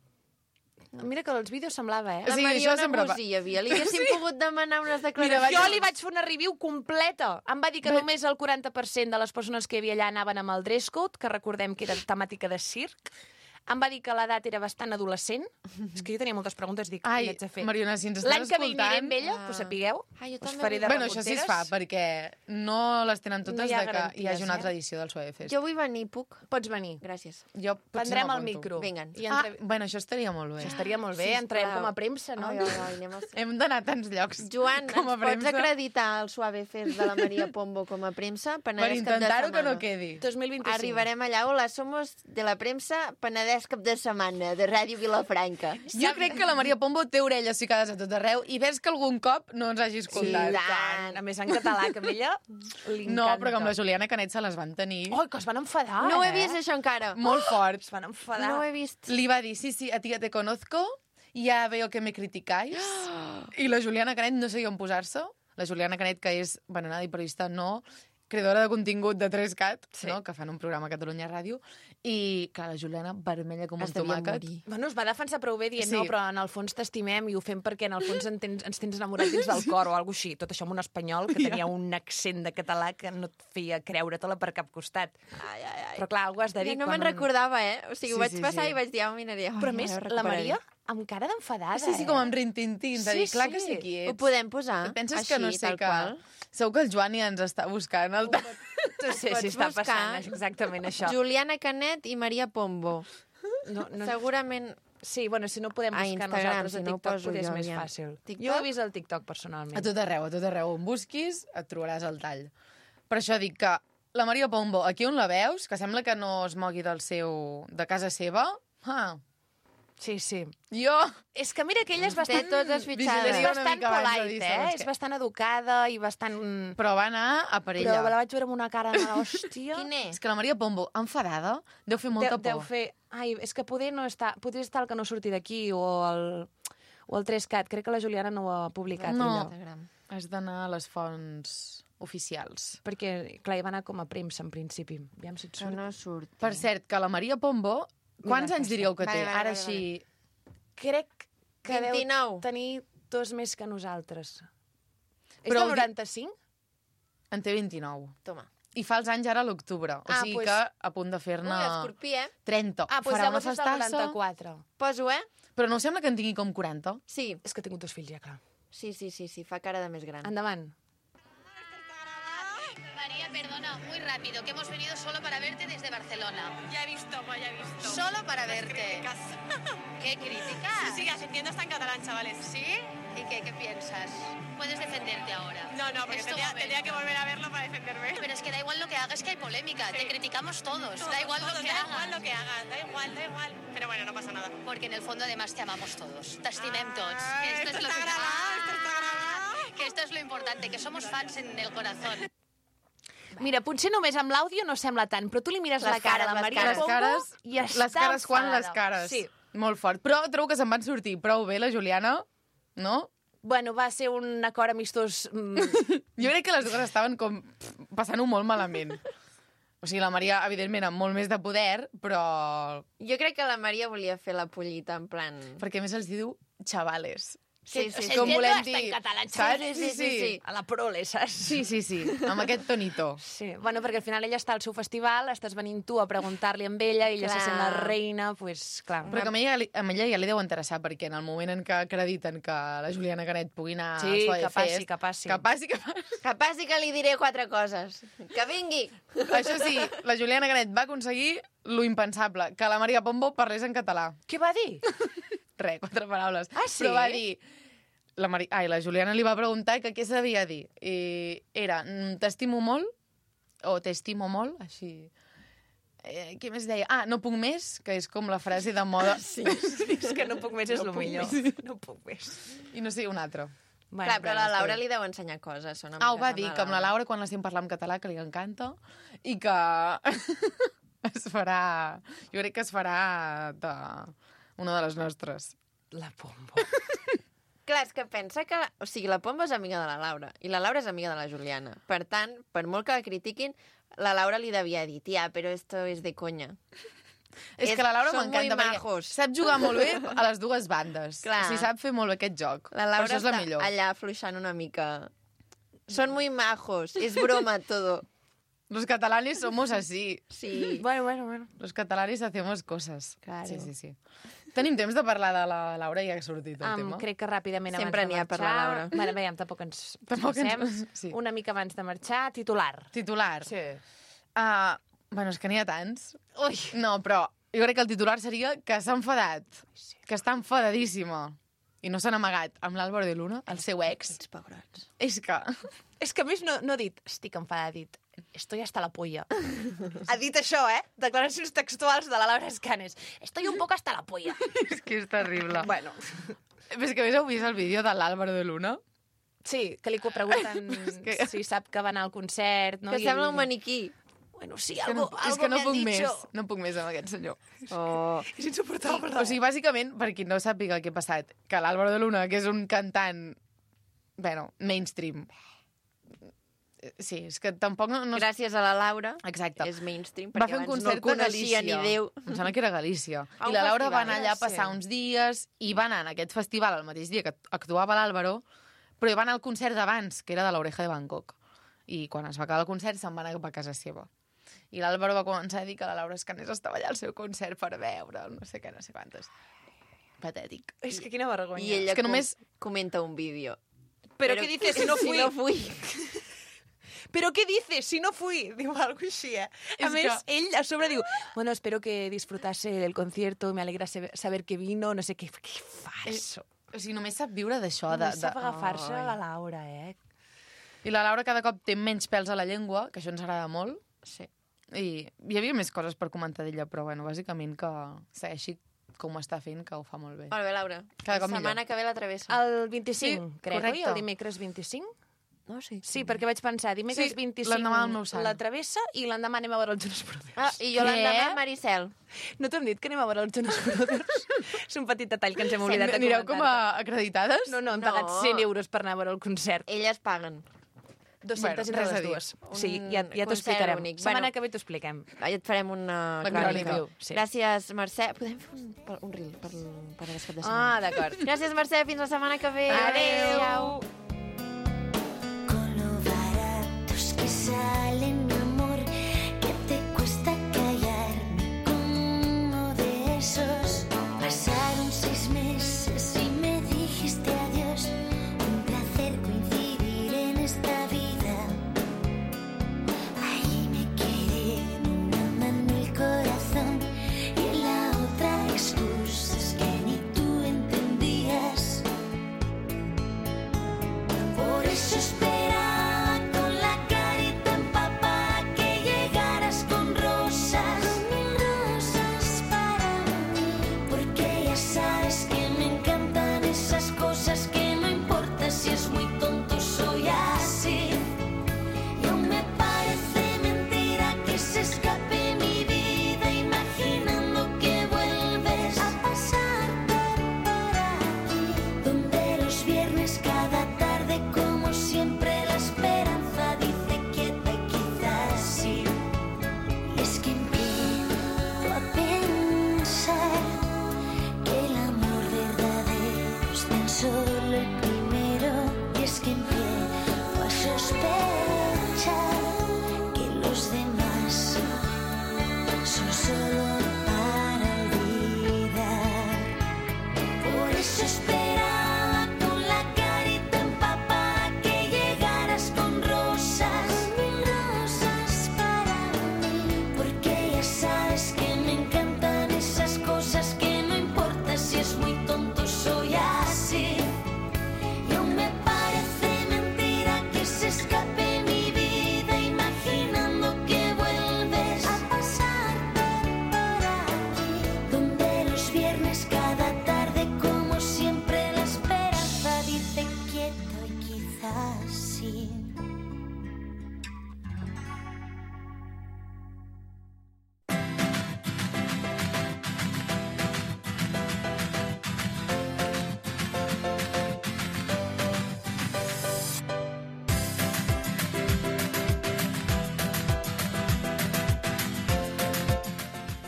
Mira que els vídeos semblava, eh? La Sí, Mariona això sempre Gusí hi havia. Li haguéssim pogut demanar unes declaracions. Mira, Jo li vaig fer una review completa. Em va dir que només el 40% de les persones que hi havia allà anaven amb el dress code, que recordem que era temàtica de circ. Em va dir que l'edat era bastant adolescent. És que jo tenia moltes preguntes, dic, Ai, què haig de fer? Mariona, si ens estàs L'any que ve escoltant... aniré amb ella, pues sapigueu. Jo Us també faré de Bueno, això sí es fa, reporteres. perquè no les tenen totes No hi ha de que hi garanties, hagi una altra eh? edició del Suave Fest. Jo vull venir, puc? Pots venir. Gràcies. Jo potser Prendrem el m'apunto. micro. Vinga'n. I Bueno, això estaria molt bé. Això estaria molt bé, Sisplau. entrarem com a premsa, no? Ai, ai, ai, anem a... Hem d'anar a tants llocs Joan, com a ens pots premsa acreditar el Suave Fest de la Maria Pombo com a premsa? per Penedès cap de intentar-ho que no setmana. quedi. 2025. Arribarem allà. Hola, somos de la premsa Penedès cap de setmana, de Ràdio Vilafranca. Jo crec que la Maria Pombo té orelles ficades a tot arreu i ves que algun cop no ens hagi escoltat. Sí, Tant. A més, en català, que a ella li No, encanta. però com la Juliana Canet se les van tenir Oh, que es van enfadar, No ho he eh? vist, això, encara. molt forts. Es van enfadar. No ho he vist. Li va dir, sí, a ti ja te conozco, ya veo que me criticáis. I la Juliana Canet no sabia on posar-se. La Juliana Canet, que és bananada i periodista, no, creadora de contingut de 3CAT, Sí. no? Que fan un programa a Catalunya Ràdio, i, clar, la Juliana vermella com un Es devia tomàquet. morir. Bueno, es va defensar prou bé dient, Sí. no, però en el fons t'estimem i ho fem perquè en el fons ens tens enamorat dins del cor o alguna així. Tot això amb un espanyol que tenia un accent de català que no et feia creure-te-la per cap costat. Ai, ai, ai. Però clar, algú has de dir... Ja no quan me'n recordava, eh? O sigui, ho Sí, vaig sí, passar sí. i vaig dir, ja ho miraré. Però a més, la Maria amb cara d'enfadada, Sí, com amb rintintins, de Sí, dir, clar que sí. sé qui ets. Ho podem posar? Et penses així, que no sé tal que... qual? Segur que el Joan ja ens està buscant. El... No sé si Pots està buscar passant exactament això. Juliana Canet i Maria Pombo. No, Segurament... sí, bueno, si no ho podem A buscar Instagram, nosaltres si a no ho TikTok, poso potser és jo, més aviam. fàcil. TikTok? Jo he vist el TikTok, personalment. A tot arreu. On busquis, et trobaràs el tall. Per això dic que la Maria Pombo, aquí on la veus, que sembla que no es mogui de casa seva, Sí, sí. jo... És que mira que ella és Té bastant... totes És fitxades. Vigilaria una bastant mica abans de dir polite, segons És què. bastant educada i bastant... Però va anar a per ella. Però la vaig veure amb una cara de l'hòstia. Quin és? És que la Maria Pombo, enfadada, deu fer molta Deu por. fer... Ai, és que poder estar el que no surti d'aquí o el 3CAT. Crec que la Juliana no ho ha publicat, No. ella. Instagram. Has d'anar a les fonts oficials. Perquè, clar, hi va anar com a premsa, en principi. Aviam si et Però surt. no surt. Per cert, que la Maria Pombo, quants Mira, anys diríeu que té? Vale, vale, Ara vale, així... Crec que 29. deu tenir 2 més que nosaltres. És Però del vol dir- 95? En té 29. Toma. I fa els anys ara a l'octubre. O Ah, sigui pues- que a punt de fer-ne Ui, escorpí, eh? 30. Ah, doncs Farà una llavors és del festassa. 94. Poso, eh? Però no us sembla que en tingui com 40? Sí, És que he tingut 2 fills ja, clar. sí, fa cara de més gran. Endavant. María, perdona, muy rápido, que hemos venido solo para verte desde Barcelona. Ya he visto. Solo para Las verte. críticas. ¿Qué críticas? Sí, las entiendo hasta en catalán, chavales. ¿Sí? ¿Y qué piensas? Puedes defenderte ahora. No, porque Es tu tendría que momento. volver a verlo para defenderme. Pero es que da igual lo que hagas, que hay polémica. Te criticamos todos. Da igual Todos, lo que da hagas. igual lo que hagan, da igual. Pero bueno, no pasa nada. Porque en el fondo además te amamos todos. T'estimem tots. Ah, Que esto está grabado, esto está grabado. Que esto es lo importante, que somos fans en el corazón. Mira, potser només amb l'àudio no sembla tant, però tu li mires Les la cara cares, a la les Maria cares. Pombo cares, i està les cares quan les enfadada. cares. Sí. Molt fort. Però trobo que se'n van sortir prou bé, la Juliana, no? Bueno, va ser un acord amistós... Jo crec que les dues estaven com passant-ho molt malament. O sigui, la Maria, evidentment, amb molt més de poder, però... Jo crec que la Maria volia fer la pollita, en plan... Perquè a més els diu xavales. Sí, sí, sí. Com Entiendo volem hasta dir, en català. saps? Sí. A la prole, saps? Sí, amb aquest tonito. Sí, bueno, perquè al final ella està al seu festival, estàs venint tu a preguntar-li amb ella, ella se Clar. sent la reina, pues, clar. Però que amb ella ja li deu interessar, perquè en el moment en què acrediten que la Juliana Canet pugui anar Sí, al Soy que passi, Fest, que passi. Que passi, que passi. Que passi que li diré 4 coses. Que vingui! Això sí, la Juliana Canet va aconseguir lo impensable, que la Maria Pombo parlés en català. Què va dir? Res, 4 paraules. Ah, sí? Però va dir... La Juliana li va preguntar que què sabia dir. I era, t'estimo molt, o t'estimo molt, així... Què més deia? Ah, no puc més, que és com la frase de moda. Sí, és que no puc més, és el millor. No puc més. I no sé, un altre. Bueno, Clar, però la Laura li deu ensenyar coses. Són Ho va amigues dir, que amb la Laura, quan l'estem parlant en català, que li encanta, i que es farà... Jo crec que es farà una de les nostres. La Pombo. Clar, és que pensa que... O sigui, la Pomba és amiga de la Laura i la Laura és amiga de la Juliana. Per tant, per molt que la critiquin, la Laura li devia dir, tia, però esto es de conya. És que la Laura Són m'encanta, muy perquè majos. sap jugar molt bé a les dues bandes. Clar. O sigui, sap fer molt bé aquest joc. La Laura per això és la està millor. allà fluixant una mica. Són muy majos, és broma todo. Los catalanes somos así. Sí. Bueno. Los catalanes hacemos cosas. Claro. Sí. Tenim temps de parlar de la Laura i ja ha sortit el tema. Crec que ràpidament Sempre abans n'hi de ha per marxar... la Laura. Bueno, veiem, tampoc ens Tampoc ens- passem. sí. Una mica abans de marxar, titular. Titular. Sí. Bueno, és que n'hi ha tants. Ui. No, però jo crec que el titular seria que s'ha enfadat. Sí. Que està enfadadíssima. I no s'han amagat amb l'Àlvaro de Luna, el seu ex. Ets pebrots. És que... És que a més no ha dit, estic enfadada, ha dit, estoy hasta la polla. Ha dit això, Declaracions textuals de la Laura Escanes. Estoy un poco hasta la polla. és que és terrible. Bueno, Però és que a més heu vist el vídeo de l'Àlvaro de Luna? sí, que li pregunten que- si sap que va anar al concert, no? Que sembla un maniquí. Bueno, sí, És que algo, és que no me han puc dicho. més. No puc més amb aquest senyor. Oh. És insuportable. O sigui, bàsicament, per qui no sàpiga què ha passat, que l'Àlvaro de Luna, que és un cantant, bueno, mainstream. Sí, és que tampoc no... Gràcies a la Laura. Exacte. És mainstream, Va perquè fer un abans no concert el coneixia a Galícia. ni Déu. Em sembla que era a Galícia. A un I la Laura va festival, anar allà a passar uns dies i va anar en aquest festival el mateix dia que actuava l'Àlvaro, però hi va anar al concert d'abans, que era de l'Oreja de Bangkok. I quan es va acabar el concert se'n va anar cap a casa seva. I l'Àlvaro va començar a dir que la Laura Escanes estava allà al seu concert per veure, no sé què, no sé quantes. Patètic. És que quina vergonya. I ella És que només- comenta un vídeo. Però què dices si no fui? Si no fui. ¿Pero qué dices? Si no fui. Diu algo així, A És més, que- ell a sobre diu, bueno, espero que disfrutase del concierto, me alegra saber que vino, no sé què. Què falso. O sigui, només sap viure d'això. Només sap agafar-se Ai. a la Laura, I la Laura cada cop té menys pèls a la llengua, que això ens agrada molt. Sí. I hi havia més coses per comentar d'ella, però bueno, bàsicament que segueixi com ho està fent, que ho fa molt bé. Molt bé, Laura. Cada cop La setmana millor. que ve la travessa. El 25, Sí, crec, oi? correcte. El dimecres 25? No, sí. Sí, perquè vaig pensar, dimecres Sí, 25 l'endemà del meu sant. la travessa i l'endemà anem a veure els Jonas Brothers. Ah, i jo Què? l'endemà, Maricel. No t'hem dit que anem a veure els Jonas Brothers? És un petit detall que ens hem oblidat de Anireu com comentar. a acreditades? No, hem No. pagat 100 euros per anar a veure el concert. Elles paguen. 200 Bueno, entre res a les dir. dues. Sí, Un ja t'ho concert explicarem. únic. Setmana Bueno. que ve t'ho expliquem. Ja et farem una La crònica. crònica. Sí. Gràcies, Mercè. Podem fer un reel per aquest cap de setmana? Ah, d'acord. Gràcies, Mercè. Fins la setmana que ve. Adéu. Con lo baratos que salen, mi amor, que te cuesta callarme como de esos. Pasaron 6 meses y me dijiste adiós. Un placer coincidir en esta vida. Ahí me quedé en una mano el corazón y en la otra excusas que ni tú entendías. eso esperaba con la carita empapada que llegaras con rosas, mil rosas para mí, porque ya sabes que me encantan esas cosas que no importa si es muy tonto, soy así. Y aún me parece mentira que se escape mi vida imaginando que vuelves a pasar por aquí, donde los viernes cada tarde como siempre la esperanza dice quieto y quizás sí.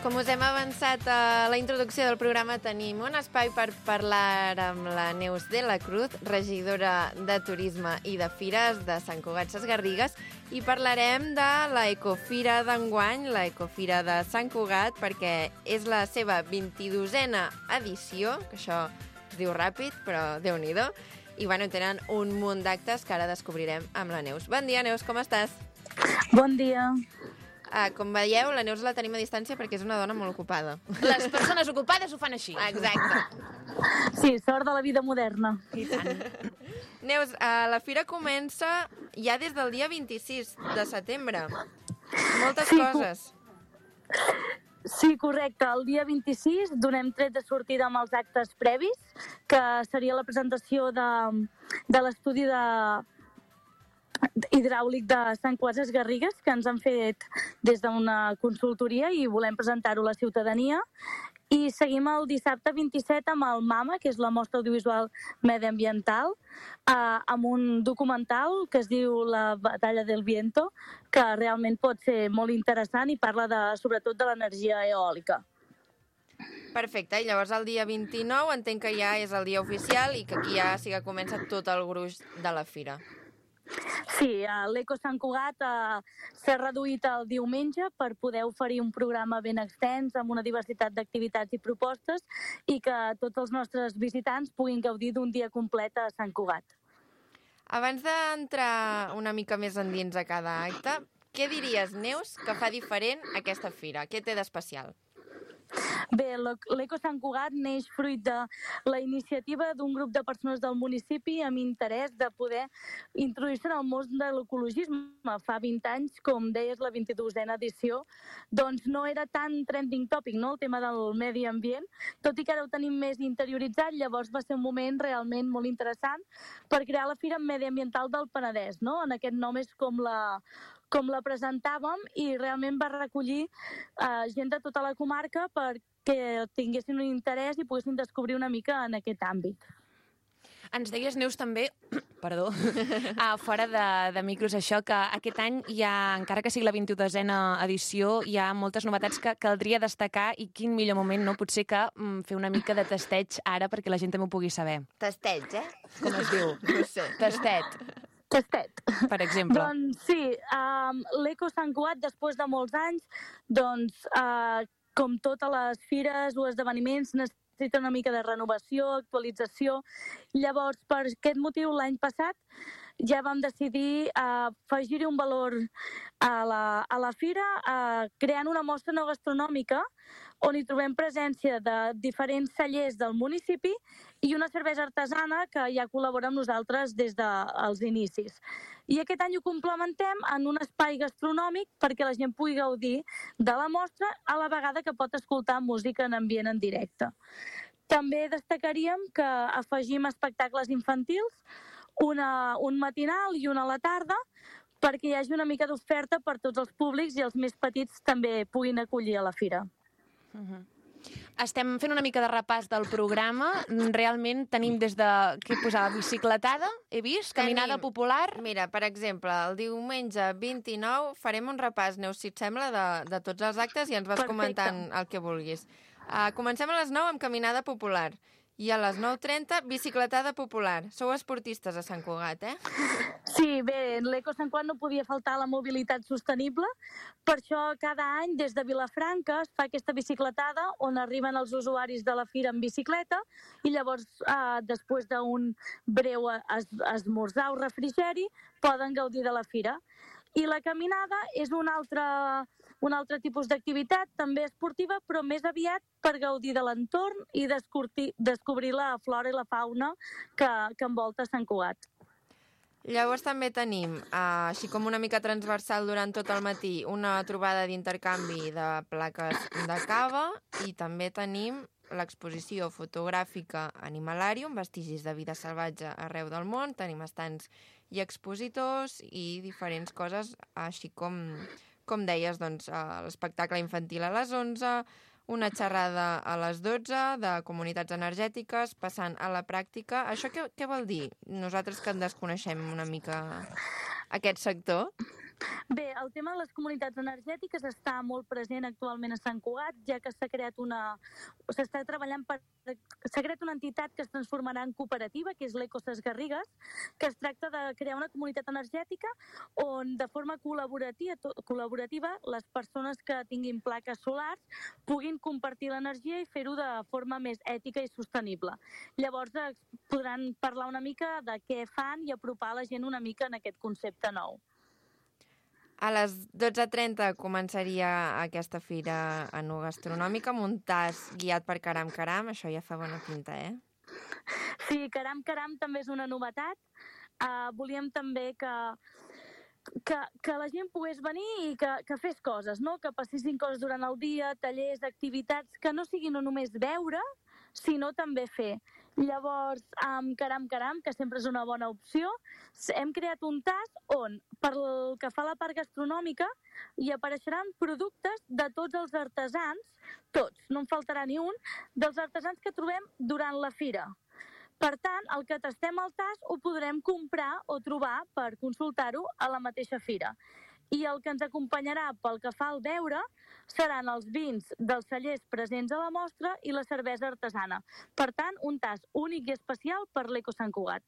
Com us hem avançat a la introducció del programa, tenim un espai per parlar amb la Neus de la Cruz, regidora de Turisme i de Fires de Sant Cugat Sesgarrigues, i parlarem de la Ecofira d'enguany, la Ecofira de Sant Cugat, perquè és la seva 22a edició, que això es diu ràpid, però Déu-n'hi-do, i bueno, tenen un munt d'actes que ara descobrirem amb la Neus. Bon dia, Neus, com estàs? Bon dia. Com veieu, la Neus la tenim a distància perquè és una dona molt ocupada. Les persones ocupades ho fan així. Exacte. Sí, sort de la vida moderna. I tant. Neus, la fira comença ja des del dia 26 de setembre. Moltes Sí, coses. Sí, correcte. El dia 26 donem tret de sortida amb els actes previs, que seria la presentació de l'estudi hidràulic de Sant Cugat Sesgarrigues, que ens han fet des d'una consultoria i volem presentar-ho a la ciutadania. I seguim el dissabte 27 amb el MAMA, que és la mostra audiovisual mediambiental, amb un documental que es diu La batalla del viento, que realment pot ser molt interessant i parla sobretot de l'energia eòlica. Perfecte, i llavors el dia 29 entenc que ja és el dia oficial i que aquí ja sí que comença tot el gruix de la fira. Sí, l'Eco Sant Cugat s'ha reduït el diumenge per poder oferir un programa ben extens amb una diversitat d'activitats i propostes i que tots els nostres visitants puguin gaudir d'un dia complet a Sant Cugat. Abans d'entrar una mica més endins a cada acte, què diries, Neus, que fa diferent aquesta fira? Què té d'especial? Bé, l'Eco Sant Cugat neix fruit de la iniciativa d'un grup de persones del municipi amb interès de poder introduir-se en el món de l'ecologisme. Fa 20 anys, com deies, la 22a edició, doncs no era tan trending topic, no?, el tema del medi ambient, tot i que ara ho tenim més interioritzat. Llavors va ser un moment realment molt interessant per crear la Fira Mediambiental del Penedès, no? En aquest nom és com la presentàvem i realment va recollir gent de tota la comarca perquè tinguessin un interès i poguessin descobrir una mica en aquest àmbit. Ens deies, Neus, també, perdó, fora de micros, això, que aquest any hi ha, encara que sigui la 22a edició, hi ha moltes novetats que caldria destacar i quin millor moment, no? Potser que fer una mica de tasteig ara perquè la gent també ho pugui saber. Tasteig, eh? Com es diu? No sé. Tastet, Tastet. per exemple. Doncs sí, l'Eco Sant Cugat, després de molts anys, doncs, com totes les fires o esdeveniments, necessita una mica de renovació, actualització. Llavors, per aquest motiu, l'any passat ja vam decidir afegir-hi un valor a la fira, creant una mostra no gastronòmica on hi trobem presència de diferents cellers del municipi i una cervesa artesana que ja col·labora amb nosaltres des dels inicis. I aquest any ho complementem en un espai gastronòmic perquè la gent pugui gaudir de la mostra a la vegada que pot escoltar música en ambient en directe. També destacaríem que afegim espectacles infantils, un matinal i una a la tarda, perquè hi hagi una mica d'oferta per tots els públics i els més petits també puguin acollir a la fira. Estem fent una mica de repàs del programa. Realment tenim des de, què posava, bicicletada, he vist, caminada popular. Mira, per exemple, el diumenge 29 farem un repàs, Neus, si et sembla, de tots els actes i ens vas comentant el que vulguis. Comencem a les 9 amb caminada popular. I a les 9:30, bicicletada popular. Sou esportistes a Sant Cugat, eh? Sí, bé, en l'Eco Sant Cugat no podia faltar la mobilitat sostenible. Per això cada any des de Vilafranca es fa aquesta bicicletada on arriben els usuaris de la fira en bicicleta i llavors, després d'un breu esmorzar o refrigeri, poden gaudir de la fira. I la caminada és un altre tipus d'activitat, també esportiva, però més aviat per gaudir de l'entorn i descobrir la flora i la fauna que envolta Sant Cugat. Llavors també tenim, així com una mica transversal durant tot el matí, una trobada d'intercanvi de plaques de cava i també tenim l'exposició fotogràfica Animalarium, vestigis de vida salvatge arreu del món. Tenim estants i expositors i diferents coses, així com deies, doncs, l'espectacle infantil a les 11, una xerrada a les 12 de comunitats energètiques, passant a la pràctica. Això què vol dir? Nosaltres que en desconeixem una mica aquest sector. Bé, el tema de les comunitats energètiques està molt present actualment a Sant Cugat, ja que s'ha creat una entitat que es transformarà en cooperativa, que és l'Eco Ses Garrigues, que es tracta de crear una comunitat energètica on de forma col·laborativa les persones que tinguin plaques solars puguin compartir l'energia i fer-ho de forma més ètica i sostenible. Llavors podran parlar una mica de què fan i apropar la gent una mica en aquest concepte nou. A les 12:30 començaria aquesta fira enogastronòmica amb un tas guiat per Caram Caram. Això ja fa bona pinta, eh? Sí, Caram Caram també és una novetat. Volíem també que la gent pogués venir i que fes coses, no? Que passessin coses durant el dia, tallers, activitats, que no siguin no només veure, sinó també fer. Llavors, amb Caram Caram, que sempre és una bona opció, hem creat un tas on, pel que fa a la part gastronòmica, hi apareixeran productes de tots els artesans, tots, no en faltarà ni un, dels artesans que trobem durant la fira. Per tant, el que tastem al tas ho podrem comprar o trobar per consultar-ho a la mateixa fira. I el que ens acompanyarà pel que fa al beure seran els vins dels cellers presents a la mostra i la cervesa artesana. Per tant, un tas únic i especial per l'Eco Sant Cugat.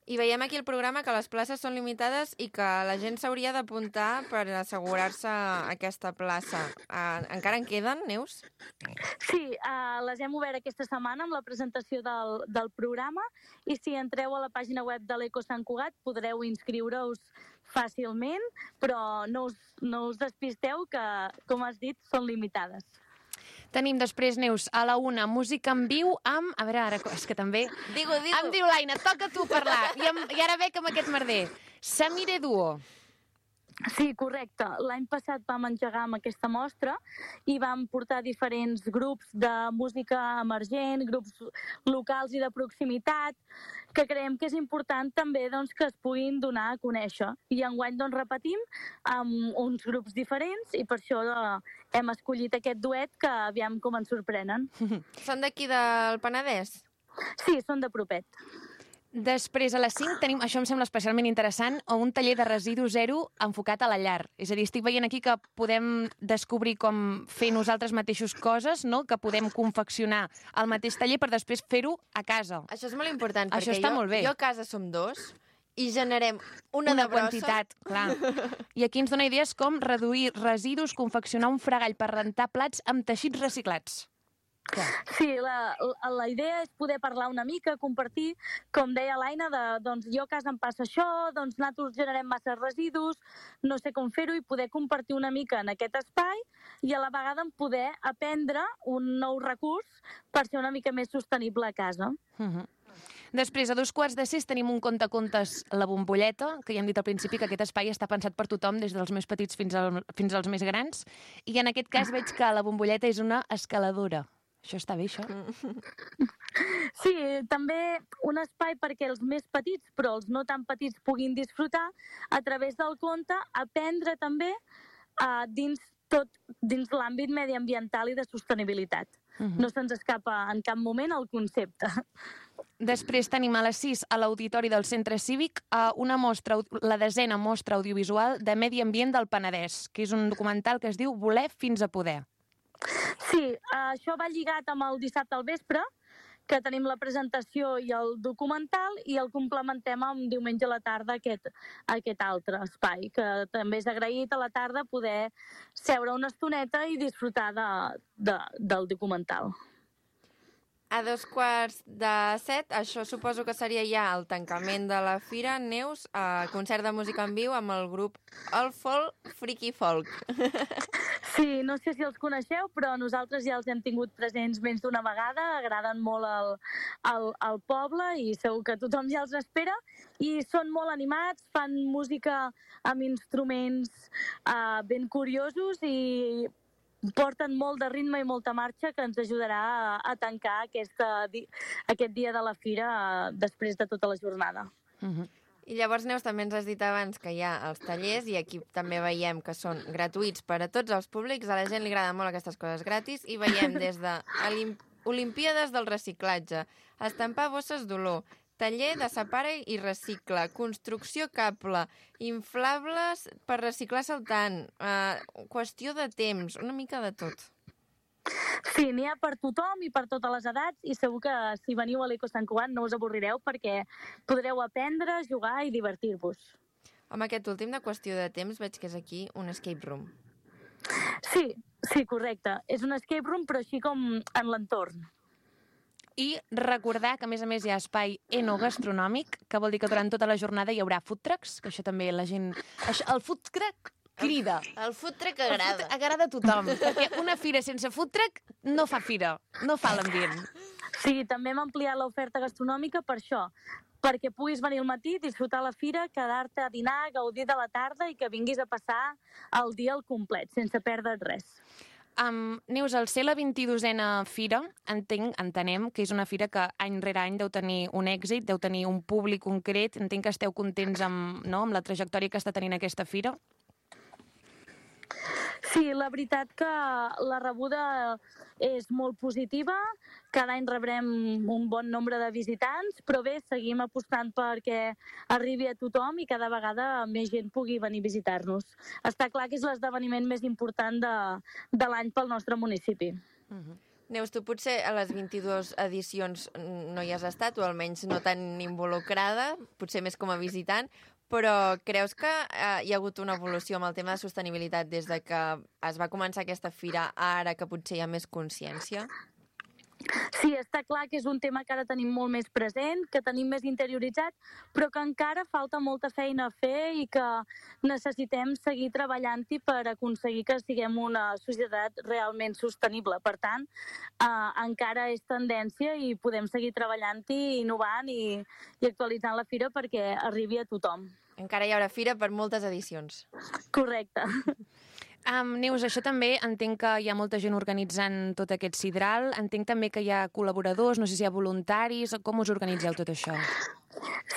I veiem aquí el programa que les places són limitades i que la gent s'hauria d'apuntar per assegurar-se aquesta plaça. Encara en queden, Neus? Sí, les hem obert aquesta setmana amb la presentació del programa i si entreu a la pàgina web de l'Eco Sant Cugat podreu inscriure-us fàcilment, però no us despisteu que, com has dit, són limitades. Tenim després, Neus, a la 1, música en viu amb... A veure, ara, és que també... Digo. Em diu l'Aina, toca tu parlar. I ara bec amb aquest merder. Samire Duo. Sí, correcte. L'any passat vam engegar amb aquesta mostra i vam portar diferents grups de música emergent, grups locals i de proximitat, que creiem que és important també doncs, que es puguin donar a conèixer. I enguany doncs, repetim amb uns grups diferents i per això hem escollit aquest duet que aviam com ens sorprenen. Són d'aquí del Penedès? Sí, són de propet. Després, a les 5, tenim, això em sembla especialment interessant, un taller de residu zero enfocat a la llar. És a dir, estic veient aquí que podem descobrir com fer nosaltres mateixos coses, no? Que podem confeccionar al mateix taller per després fer-ho a casa. Això és molt important, Això perquè està molt bé. jo a casa som 2 i generem una de quantitat, clar. I aquí ens dona idees com reduir residus, confeccionar un fregall per rentar plats amb teixits reciclats. Sí, la idea és poder parlar una mica, compartir, com deia l'Aina, doncs jo a casa em passa això, doncs nosaltres generem massa residus, no sé com fer-ho i poder compartir una mica en aquest espai i a la vegada poder aprendre un nou recurs per ser una mica més sostenible a casa. Després, a 2:15 tenim un contacontes La Bombolleta, que ja hem dit al principi que aquest espai està pensat per tothom, des dels més petits fins als més grans, i en aquest cas veig que La Bombolleta és una escaladora. Això està bé, això? Sí, també un espai perquè els més petits, però els no tan petits, puguin disfrutar a través del conte, aprendre també dins l'àmbit mediambiental i de sostenibilitat. No se'ns escapa en cap moment el concepte. Després tenim a les 6 a l'Auditori del Centre Cívic una mostra, la 10a mostra audiovisual de Medi Ambient del Penedès, que és un documental que es diu Voler fins a poder. Sí, això va lligat amb el dissabte al vespre, que tenim la presentació i el documental i el complementem amb diumenge a la tarda aquest altre espai, que també és agraït a la tarda poder seure una estoneta i disfrutar del documental. A 6:45, això suposo que seria ja el tancament de la fira. Neus, concert de música en viu amb el grup El Folk Freaky Folk. Sí, no sé si els coneixeu, però nosaltres ja els hem tingut presents més d'una vegada, agraden molt al poble i segur que tothom ja els espera. I són molt animats, fan música amb instruments ben curiosos i porten molt de ritme i molta marxa que ens ajudarà a tancar aquest dia de la fira després de tota la jornada. I llavors, Neus, també ens has dit abans que hi ha els tallers i aquí també veiem que són gratuïts per a tots els públics. A la gent li agraden molt aquestes coses gratis i veiem des de Olimpíades del reciclatge, estampar bosses d'olor, taller de separa i recicla, construcció cable, inflables per reciclar saltant, qüestió de temps, una mica de tot. Sí, n'hi ha per tothom i per totes les edats i segur que si veniu a l'Eco Sant Cugat no us avorrireu perquè podreu aprendre, jugar i divertir-vos. Amb aquest últim de qüestió de temps veig que és aquí un escape room. Sí, correcte. És un escape room però així com en l'entorn. I recordar que, a més, hi ha espai enogastronòmic, que vol dir que durant tota la jornada hi haurà food trucks, que això també la gent... El food truck crida. El food truck agrada. Agrada a tothom, perquè una fira sense food truck no fa fira, no fa l'ambient. Sí, també hem ampliat l'oferta gastronòmica per això, perquè puguis venir al matí, disfrutar la fira, quedar-te a dinar, gaudir de la tarda i que vinguis a passar el dia al complet, sense perdre't res. Neus, al ser la 22a fira, entenem que és una fira que any rere any deu tenir un èxit, deu tenir un públic concret. Entenc que esteu contents amb la trajectòria que està tenint aquesta fira. Sí, la veritat que la rebuda és molt positiva. Cada any rebrem un bon nombre de visitants, però bé, seguim apostant perquè arribi a tothom i cada vegada més gent pugui venir a visitar-nos. Està clar que és l'esdeveniment més important de l'any pel nostre municipi. Neus, tu potser a les 22 edicions no hi has estat, o almenys no tan involucrada, potser més com a visitant, però creus que hi ha hagut una evolució amb el tema de sostenibilitat des de que es va començar aquesta fira a ara que potser hi ha més consciència? Sí, està clar que és un tema que ara tenim molt més present, que tenim més interioritzat, però que encara falta molta feina a fer i que necessitem seguir treballant-hi per aconseguir que siguem una societat realment sostenible. Per tant, encara és tendència i podem seguir treballant-hi, innovant i actualitzant la fira perquè arribi a tothom. Encara hi haurà fira per moltes edicions. Correcte. Neus, això també entenc que hi ha molta gent organitzant tot aquest sidral, entenc també que hi ha col·laboradors, no sé si hi ha voluntaris, com us organitzeu tot això?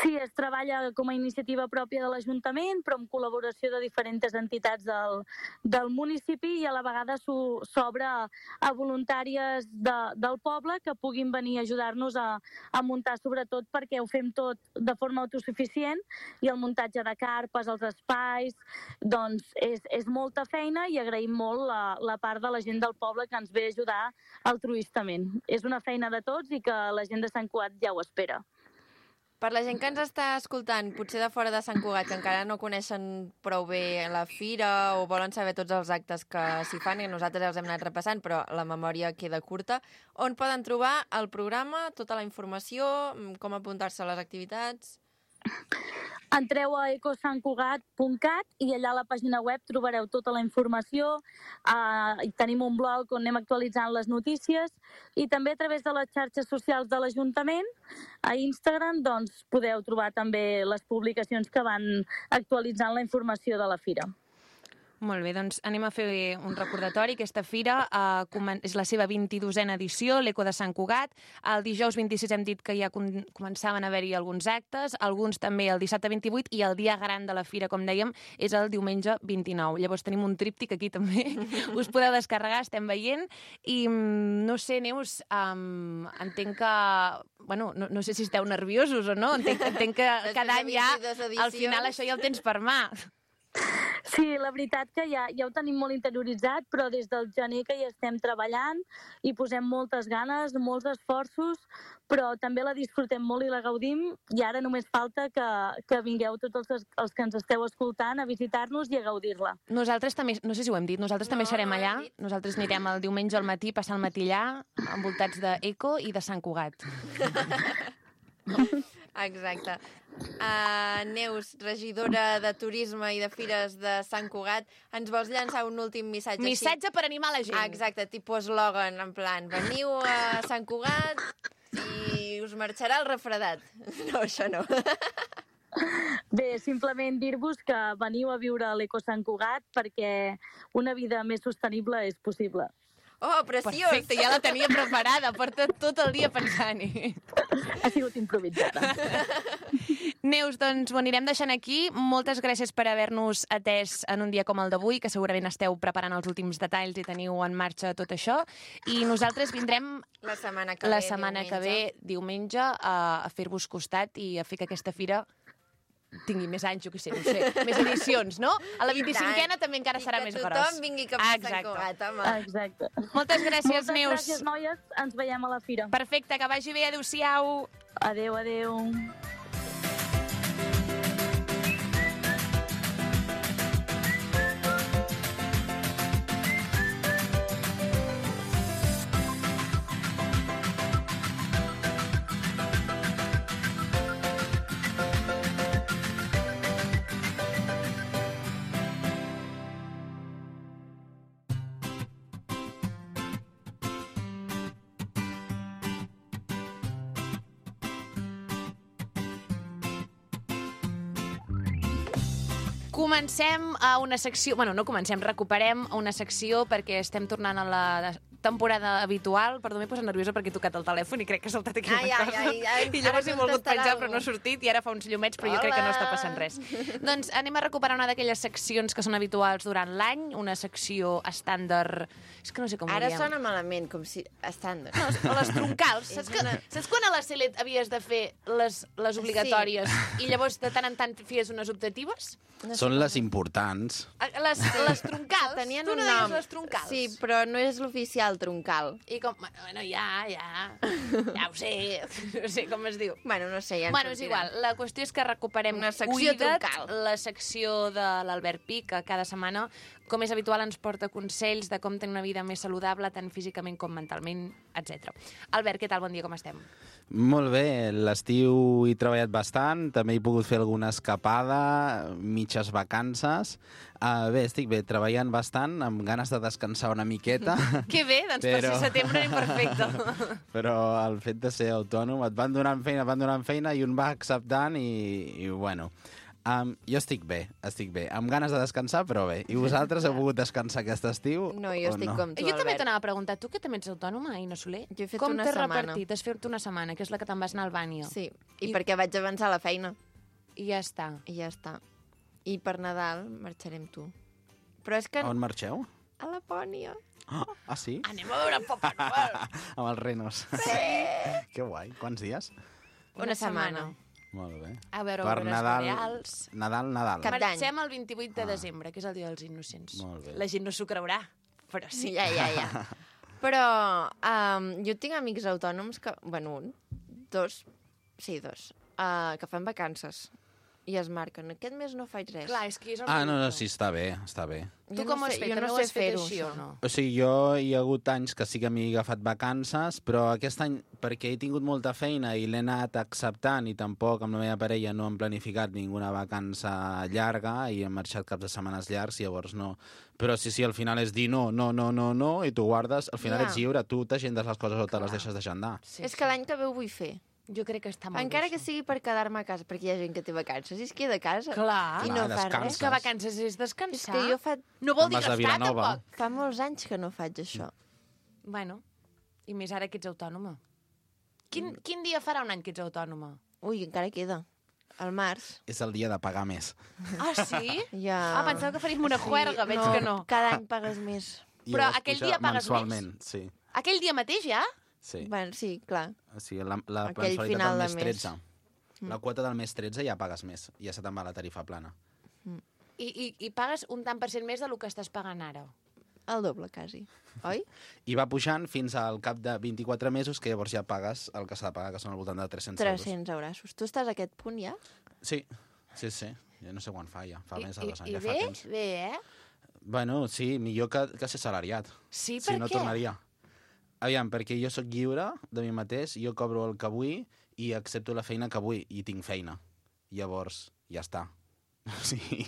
Sí, es treballa com a iniciativa pròpia de l'Ajuntament, però amb col·laboració de diferents entitats del municipi i a la vegada s'obre a voluntàries del poble que puguin venir a ajudar-nos a muntar, sobretot perquè ho fem tot de forma autosuficient i el muntatge de carpes, els espais, doncs és molta feina i agraïm molt la part de la gent del poble que ens ve a ajudar altruistament. És una feina de tots i que la gent de Sant Cugat ja ho espera. Per la gent que ens està escoltant, potser de fora de Sant Cugat, que encara no coneixen prou bé la fira o volen saber tots els actes que s'hi fan, i nosaltres els hem anat repassant, però la memòria queda curta, on poden trobar el programa, tota la informació, com apuntar-se a les activitats? Entreu a ecosantcugat.cat i allà a la pàgina web trobareu tota la informació. Tenim un blog on anem actualitzant les notícies i també a través de les xarxes socials de l'Ajuntament, a Instagram, doncs podeu trobar també les publicacions que van actualitzant la informació de la fira. Molt bé, doncs anem a fer un recordatori. Aquesta fira és la seva 22a edició, l'Eco de Sant Cugat. El dijous 26 hem dit que ja començaven a haver-hi alguns actes, alguns també el dissabte 28, i el dia gran de la fira, com dèiem, és el diumenge 29. Llavors tenim un tríptic aquí també, us podeu descarregar, estem veient. I no sé, Neus, entenc que... Bueno, no sé si esteu nerviosos o no, entenc que cada any ja, al final, això ja el tens per mà. Sí, la veritat que ja ho tenim molt interioritzat, però des del gener que hi estem treballant i posem moltes ganes, molts esforços, però també la disfrutem molt i la gaudim, i ara només falta que vingueu tots els que ens esteu escoltant a visitar-nos i a gaudir-la. Nosaltres també, no sé si ho hem dit, nosaltres també serem allà. Nosaltres anirem el diumenge al matí, passar el matí allà, envoltats d'Eco i de Sant Cugat. Exacte. Neus, regidora de Turisme i de Fires de Sant Cugat, ens vols llançar un últim missatge? Missatge per animar la gent. Exacte, tipus eslògan, en plan, veniu a Sant Cugat i us marxarà el refredat. No, això no. Bé, simplement dir-vos que veniu a viure a l'Eco Sant Cugat perquè una vida més sostenible és possible. Oh, preciós! Perfecte, ja la tenia preparada, porta tot el dia pensant-hi. Ha sigut improvisada. Neus, doncs ho anirem deixant aquí. Moltes gràcies per haver-nos atès en un dia com el d'avui, que segurament esteu preparant els últims detalls i teniu en marxa tot això. I nosaltres vindrem la setmana que ve, diumenge, a fer-vos costat i a fer que aquesta fira tingui més anys, jo què sé, no sé, més edicions, no? A la 25a també encara serà més gros. Que tothom vingui cap a Sant Cugat, home. Exacte. Moltes gràcies, Moltes Neus. gràcies, noies. Ens veiem a la fira. Perfecte, que vagi bé. Adéu-siau. Adéu, adéu. Comencem a una secció... Bueno, no comencem, recuperem una secció perquè estem tornant a la temporada habitual. Perdó, m'he posat nerviosa perquè he tocat el telèfon i crec que ha saltat aquí una cosa. I llavors he volgut penjar, però no ha sortit, i ara fa uns llumets, però jo crec que no està passant res. Doncs anem a recuperar una d'aquelles seccions que són habituals durant l'any, una secció estàndard... És que no sé com ho Ara diem. sona malament, com si... Estàndard. No, les troncals. Saps quan a la Selet havies de fer les obligatòries i llavors de tant en tant fies unes optatives? Són les importants. Les troncals? Tenien tu no un deies nom. les troncals? Sí, però no és l'oficial troncal. I com... Bueno, ja ho sé. No sé com es diu. Bueno, no sé, ja ens Bueno, és igual. La qüestió és que recuperem una secció Cuida't, troncal. la secció de l'Albert Pi, que cada setmana, com és habitual, ens porta consells de com tenir una vida més saludable, tant físicament com mentalment, etc. Albert, què tal? Bon dia, com estem? Molt bé, l'estiu he treballat bastant, també he pogut fer alguna escapada, mitges vacances. Bé, estic bé, treballant bastant, amb ganes de descansar una miqueta. Que bé, doncs per ser setembre anem perfecte. Però el fet de ser autònom, et van donant feina i un va acceptant i bueno... jo estic bé, amb ganes de descansar, però bé. I vosaltres heu pogut descansar aquest estiu? No, jo estic com tu, Jo també Albert. t'anava a preguntar, tu que també ets autònoma, Aina Soler? Jo he fet com una t'has setmana. repartit? Has fet una setmana, que és la que te'n vas anar a Albània. Sí, i perquè vaig avançar la feina. I ja està. I ja està. I per Nadal marxarem tu. Però és que... On marxeu? A Lapònia. Ah, sí? Anem a veure Papa Noel. Amb els renos. Sí! Que guai. Quants dies? Una setmana. Molt bé. A veure, Per obres Nadal, boreals. Nadal. Cap d'any. Marxem el 28 de desembre, que és el dia dels innocents. Molt bé. La gent no s'ho creurà, però sí. Ja. Però jo tinc amics autònoms que... Bueno, dos, que fan vacances. I es marquen. Aquest mes no faig res. Clar, és que és el No, ridícul. sí, està bé, està bé. Tu com ho has fet? Jo També no ho sé has fet fer-ho, així o això. no? O sigui, jo hi ha hagut anys que sí que m'he agafat vacances, però aquest any, perquè he tingut molta feina i l'he anat acceptant i tampoc amb la meva parella no hem planificat ninguna vacança llarga i hem marxat caps de setmanes llargs, llavors no. Però sí, al final és dir no, i tu guardes, al final ets lliure, tu t'agendes les coses o te les deixes d'agendar. Sí, És que l'any que ve ho vull fer. Jo crec que està molt Encara bé, que això. sigui per quedar-me a casa, perquè hi ha gent que té vacances i es queda a casa. Clar. I no Clar, fa descanses. res. És que vacances és És descansar. que jo No vol Te'n dir vas a gastar, Vilanova. tampoc. fa molts anys que no faig això. Bueno, i més ara que ets autònoma. Quin dia farà un any que ets autònoma? Ui, encara queda. Al març. És el dia de pagar més. Ah, sí? Ja... Pensava que faríem una juerga, veig que no. Cada any pagues més. I Però llavors aquell puja dia pagues mensualment, sí. Aquell dia mateix ja? Sí. Bueno, sí, clar. O sigui, la Aquell mensualitat final del de mes mes. 13. La quota del mes 13 ja pagues més, ja se te'n va la tarifa plana. I pagues un tant per cent més del que estàs pagant ara. El doble, quasi. Oi? I va pujant fins al cap de 24 mesos, que llavors ja pagues el que s'ha de pagar, que són al voltant de 300 euros. 300 euros. Tu estàs a aquest punt ja? Sí. Ja no sé quan fa, ja. Fa més de 2 anys. I ja fa temps. bé, eh? Bueno, sí, millor que ser salariat. Sí, Si per no què? tornaria. Aviam, perquè jo sóc lliure de mi mateix, jo cobro el que vull i accepto la feina que vull, i tinc feina. Llavors, ja està. O sigui,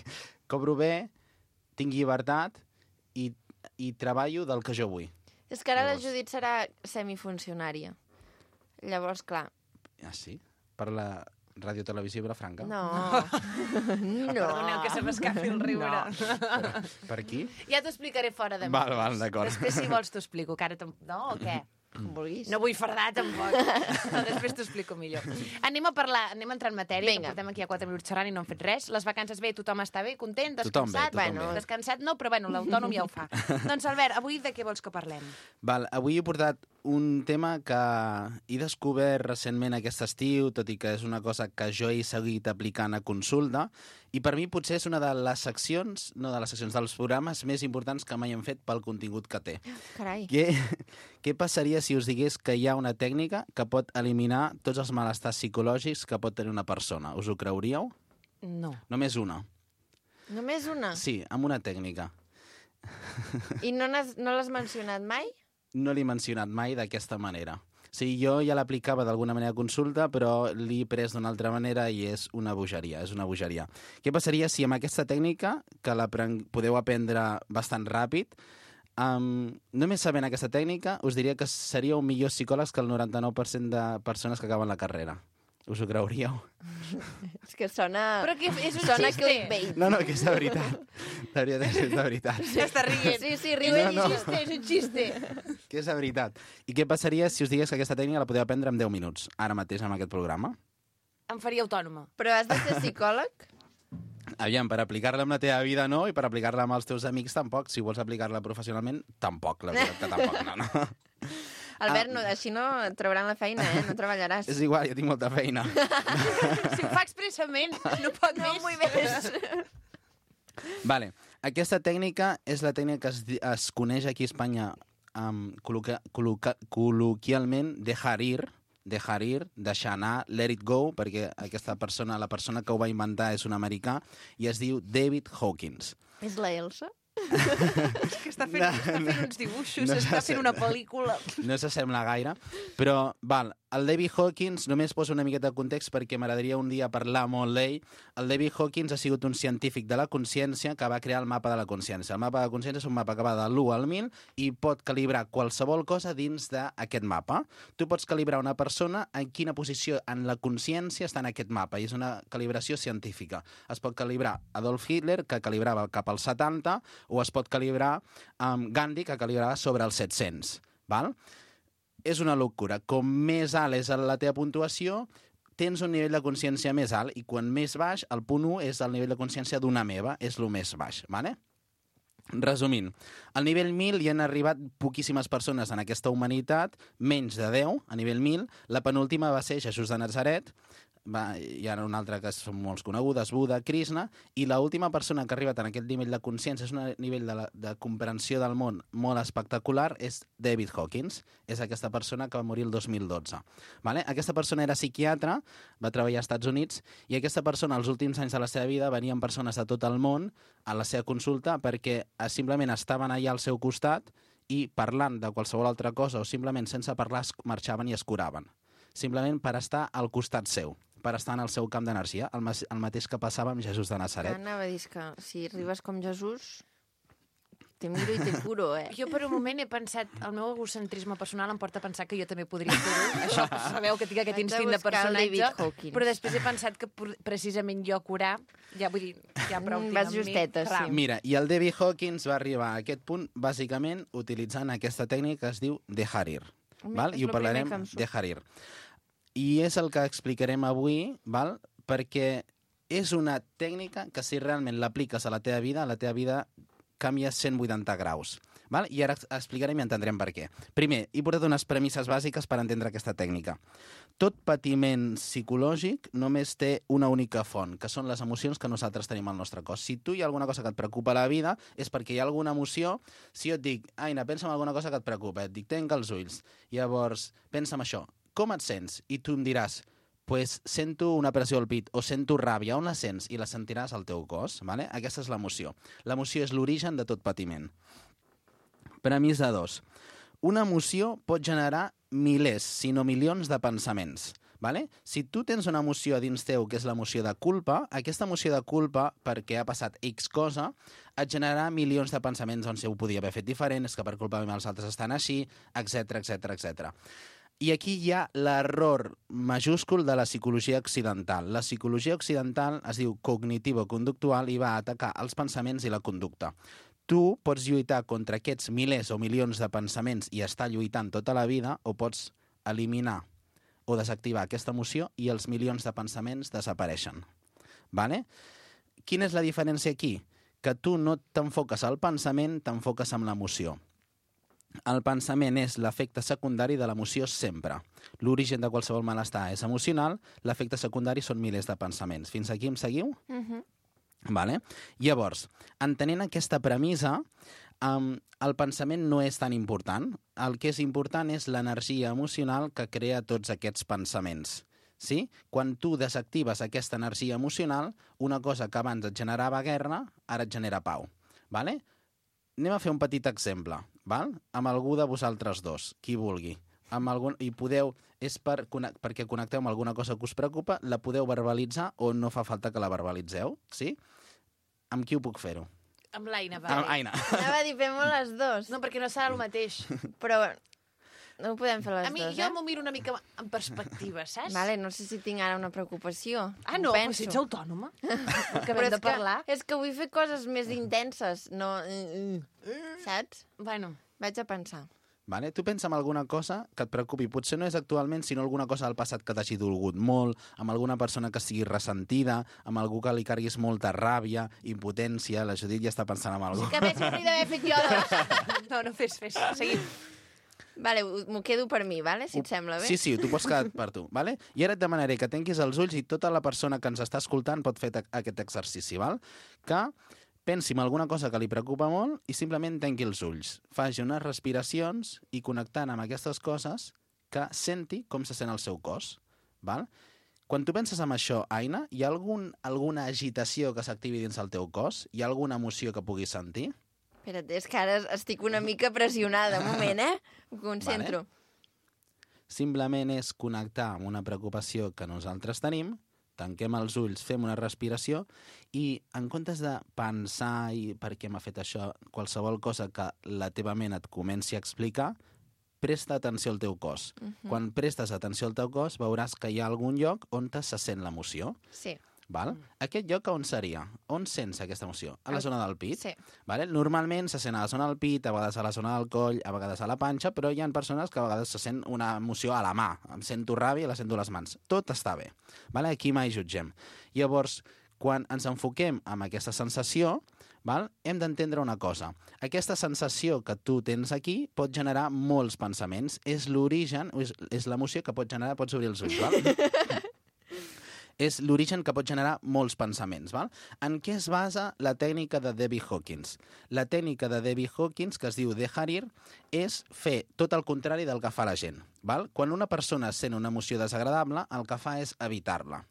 cobro bé, tinc llibertat i treballo del que jo vull. És que ara la Llavors- Judit serà semifuncionària. Llavors, clar, Ah, sí? Per la Radiotelevisió Vilafranca? no. No. Perdoneu que se m'escapi el riure. Per aquí? Ja t'ho explicaré fora de Val, d'acord. Després, si vols, t'ho explico. Que ara no, o què? Com vulguis. No vull fardar, tampoc. No, després t'ho explico millor. Anem a entrar en matèria, Vinga. que portem aquí a 4 minuts xerrant i no hem fet res. Les vacances bé, tothom està bé, content, Tothom bé, descansat? tothom bé. Descansat no, però bueno, l'autònom ja ho fa. Doncs, Albert, avui de què vols que parlem? Val, avui he portat un tema que he descobert recentment aquest estiu, tot i que és una cosa que jo he seguit aplicant a consulta, i per mi potser és una de les seccions, dels programes més importants que mai hem fet pel contingut que té. Carai. Què passaria si us digués que hi ha una tècnica que pot eliminar tots els malestars psicològics que pot tenir una persona? Us ho creuríeu? No. Només una. Només una? Sí, amb una tècnica. I no l'has mencionat mai? No l'he mencionat mai d'aquesta manera. Sí, jo ja l'aplicava d'alguna manera a consulta, però l'he pres d'una altra manera i és una bogeria, Què passaria si amb aquesta tècnica, que podeu aprendre bastant ràpid, només sabent aquesta tècnica, us diria que seríeu millors psicòlegs que el 99% de persones que acaben la carrera. Us ho creuríeu? És que sona... Però que és un sona xiste. clickbait. No, que és de veritat. És de veritat. Ja està rient. Sí, riu. No. És un xiste. Que és de veritat. I què passaria si us digués que aquesta tècnica la podeu aprendre en 10 minuts, ara mateix amb aquest programa? Em faria autònoma. Però has de ser psicòleg? Aviam, per aplicar-la amb la teva vida no, i per aplicar-la amb els teus amics tampoc. Si vols aplicar-la professionalment, tampoc. La veritat que tampoc, no. Albert, així no et trauran la feina, no treballaràs. És igual, jo tinc molta feina. Si ho fa expressament, no pot No més. vull més. Vale. Aquesta tècnica és la tècnica que es coneix aquí a Espanya col·loquialment dejar ir, deixar anar, let it go, perquè la persona que ho va inventar és un americà, i es diu David Hawkins. És la Elsa? És que està fent uns dibuixos, està fent una pel·lícula. No s'assembla gaire, però, el David Hawkins, només poso una miqueta de context perquè m'agradaria un dia parlar molt d'ell. El David Hawkins ha sigut un científic de la consciència que va crear el mapa de la consciència. El mapa de la consciència és un mapa que va de l'1 al 1000 i pot calibrar qualsevol cosa dins d'aquest mapa. Tu pots calibrar una persona en quina posició en la consciència està en aquest mapa, i és una calibració científica. Es pot calibrar Adolf Hitler, que calibrava cap als 70, o es pot calibrar Gandhi, que calibrava sobre els 700. Val? És una locura. Com més alt és la teva puntuació, tens un nivell de consciència més alt, i quan més baix, el punt 1 és el nivell de consciència d'una meva, és el més baix. Vale? Resumint, al nivell 1000 hi han arribat poquíssimes persones en aquesta humanitat, menys de 10, a nivell 1000. La penúltima va ser Jesús de Nazaret, hi ha una altra que són molt conegudes, Buda, Krishna, i l'última persona que ha arribat en aquest nivell de consciència, és un nivell de comprensió del món molt espectacular, és David Hawkins. És aquesta persona que va morir el 2012. Vale? Aquesta persona era psiquiatre, va treballar als Estats Units, i aquesta persona, els últims anys de la seva vida, venien persones de tot el món a la seva consulta perquè simplement estaven allà al seu costat i parlant de qualsevol altra cosa o simplement sense parlar marxaven i es curaven. Simplement per estar al costat seu, per estar en el seu camp d'energia, el mateix que passava amb Jesús de Nazaret. Anava a dir que si arribes com Jesús, te miro i te curo, Jo per un moment he pensat, el meu egocentrisme personal em porta a pensar que jo també podria fer-ho. Això, sabeu que tinc aquest Haig de instint de buscar el David personatge, Hawkins. però després he pensat que precisament jo curar, ja vull dir, ja prou tinc Vas amb mi. justeta, Clar. sí. Mira, i el David Hawkins va arribar a aquest punt bàsicament utilitzant aquesta tècnica que es diu dejar ir. Val? És I ho lo primer parlarem que em surt. dejar ir. I és el que explicarem avui, val? Perquè és una tècnica que si realment l'apliques a la teva vida canvia 180 graus. Val? I ara explicarem i entendrem per què. Primer, he portat unes premisses bàsiques per entendre aquesta tècnica. Tot patiment psicològic només té una única font, que són les emocions que nosaltres tenim al nostre cos. Si tu hi ha alguna cosa que et preocupa a la vida, és perquè hi ha alguna emoció. Si jo et dic, Aina, pensa en alguna cosa que et preocupa, et dic, tanca els ulls. Llavors, pensa en això. Com et sents? I tu em diràs, pues sento una pressió al pit o sento ràbia. On la sents? I la sentiràs al teu cos. Vale? Aquesta és l'emoció. L'emoció és l'origen de tot patiment. Premissa 2. Una emoció pot generar milers, si no milions, de pensaments. Vale? Si tu tens una emoció a dins teu, que és l'emoció de culpa, aquesta emoció de culpa, perquè ha passat X cosa, et generarà milions de pensaments on si ho podia haver fet diferent, és que per culpa meva els altres estan així, etc etc etc. I aquí hi ha l'error majúscul de la psicologia occidental. La psicologia occidental es diu cognitivo-conductual i va atacar els pensaments i la conducta. Tu pots lluitar contra aquests milers o milions de pensaments i estar lluitant tota la vida, o pots eliminar o desactivar aquesta emoció i els milions de pensaments desapareixen. Vale? Quina és la diferència aquí? Que tu no t'enfoques al pensament, t'enfoques en l'emoció. El pensament és l'efecte secundari de l'emoció sempre. L'origen de qualsevol malestar és emocional, l'efecte secundari són milers de pensaments. Fins aquí em seguiu? Vale? Llavors, entenent aquesta premissa, el pensament no és tan important. El que és important és l'energia emocional que crea tots aquests pensaments. Sí? Quan tu desactives aquesta energia emocional, una cosa que abans et generava guerra, ara et genera pau. Vale? Anem a fer un petit exemple, val? Amb algú de vosaltres dos, qui vulgui. I podeu, és perquè connecteu amb alguna cosa que us preocupa, la podeu verbalitzar o no fa falta que la verbalitzeu, sí? Amb qui ho puc fer-ho? Amb l'Aina, va. Amb Aina. Anava a dir, fem-ho les dos. No, perquè no serà el mateix. Però no ho podem fer les A mi, dos, jo m'ho miro una mica en perspectiva, saps? Vale, no sé si tinc ara una preocupació. Ah, no, però si ets autònoma. Que Però hem de parlar. és que vull fer coses més intenses, no... Saps? Bueno, Vaig a pensar. Vale? Tu pensa en alguna cosa que et preocupi. Potser no és actualment, sinó alguna cosa del passat que t'hagi dolgut molt, amb alguna persona que estigui ressentida, amb algú que li carguis molta ràbia, impotència. La Judit ja està pensant en algú. que més m'hauria d'haver fet jo. No, fes. Seguim. Vale, m'ho quedo per mi, vale? Si et sembla bé. Sí, tu pots quedar per tu. Vale? I ara et demanaré que tanquis els ulls i tota la persona que ens està escoltant pot fer aquest exercici, val? Que pensi en alguna cosa que li preocupa molt i simplement tanqui els ulls. Faci unes respiracions i connectant amb aquestes coses que senti com se sent el seu cos. Val? Quan tu penses en això, Aina, hi ha alguna agitació que s'activi dins el teu cos? Hi ha alguna emoció que puguis sentir? Espera't, és que ara estic una mica pressionada. Un moment, Ho concentro. Vale. Simplement és connectar amb una preocupació que nosaltres tenim, tanquem els ulls, fem una respiració i en comptes de pensar i per què m'ha fet això, qualsevol cosa que la teva ment et comenci a explicar, presta atenció al teu cos. Quan prestes atenció al teu cos veuràs que hi ha algun lloc on se sent l'emoció. Sí. Val? Aquest lloc on seria? On sents aquesta emoció? A la zona del pit? Sí. Vale? Normalment se sent a la zona del pit, a vegades a la zona del coll, a vegades a la panxa, però hi ha persones que a vegades se sent una emoció a la mà. Em sento ràbia i la sento a les mans. Tot està bé. Vale? Aquí mai jutgem. Llavors, quan ens enfoquem en aquesta sensació, val? Hem d'entendre una cosa. Aquesta sensació que tu tens aquí pot generar molts pensaments. És l'origen, és l'emoció que pot generar... Pots obrir els ulls, val? És l'origen que pot generar molts pensaments. Val? En què es basa la tècnica de David Hawkins? La tècnica de David Hawkins, que es diu dejar ir, és fer tot el contrari del que fa la gent. Val? Quan una persona sent una emoció desagradable, el que fa és evitar-la.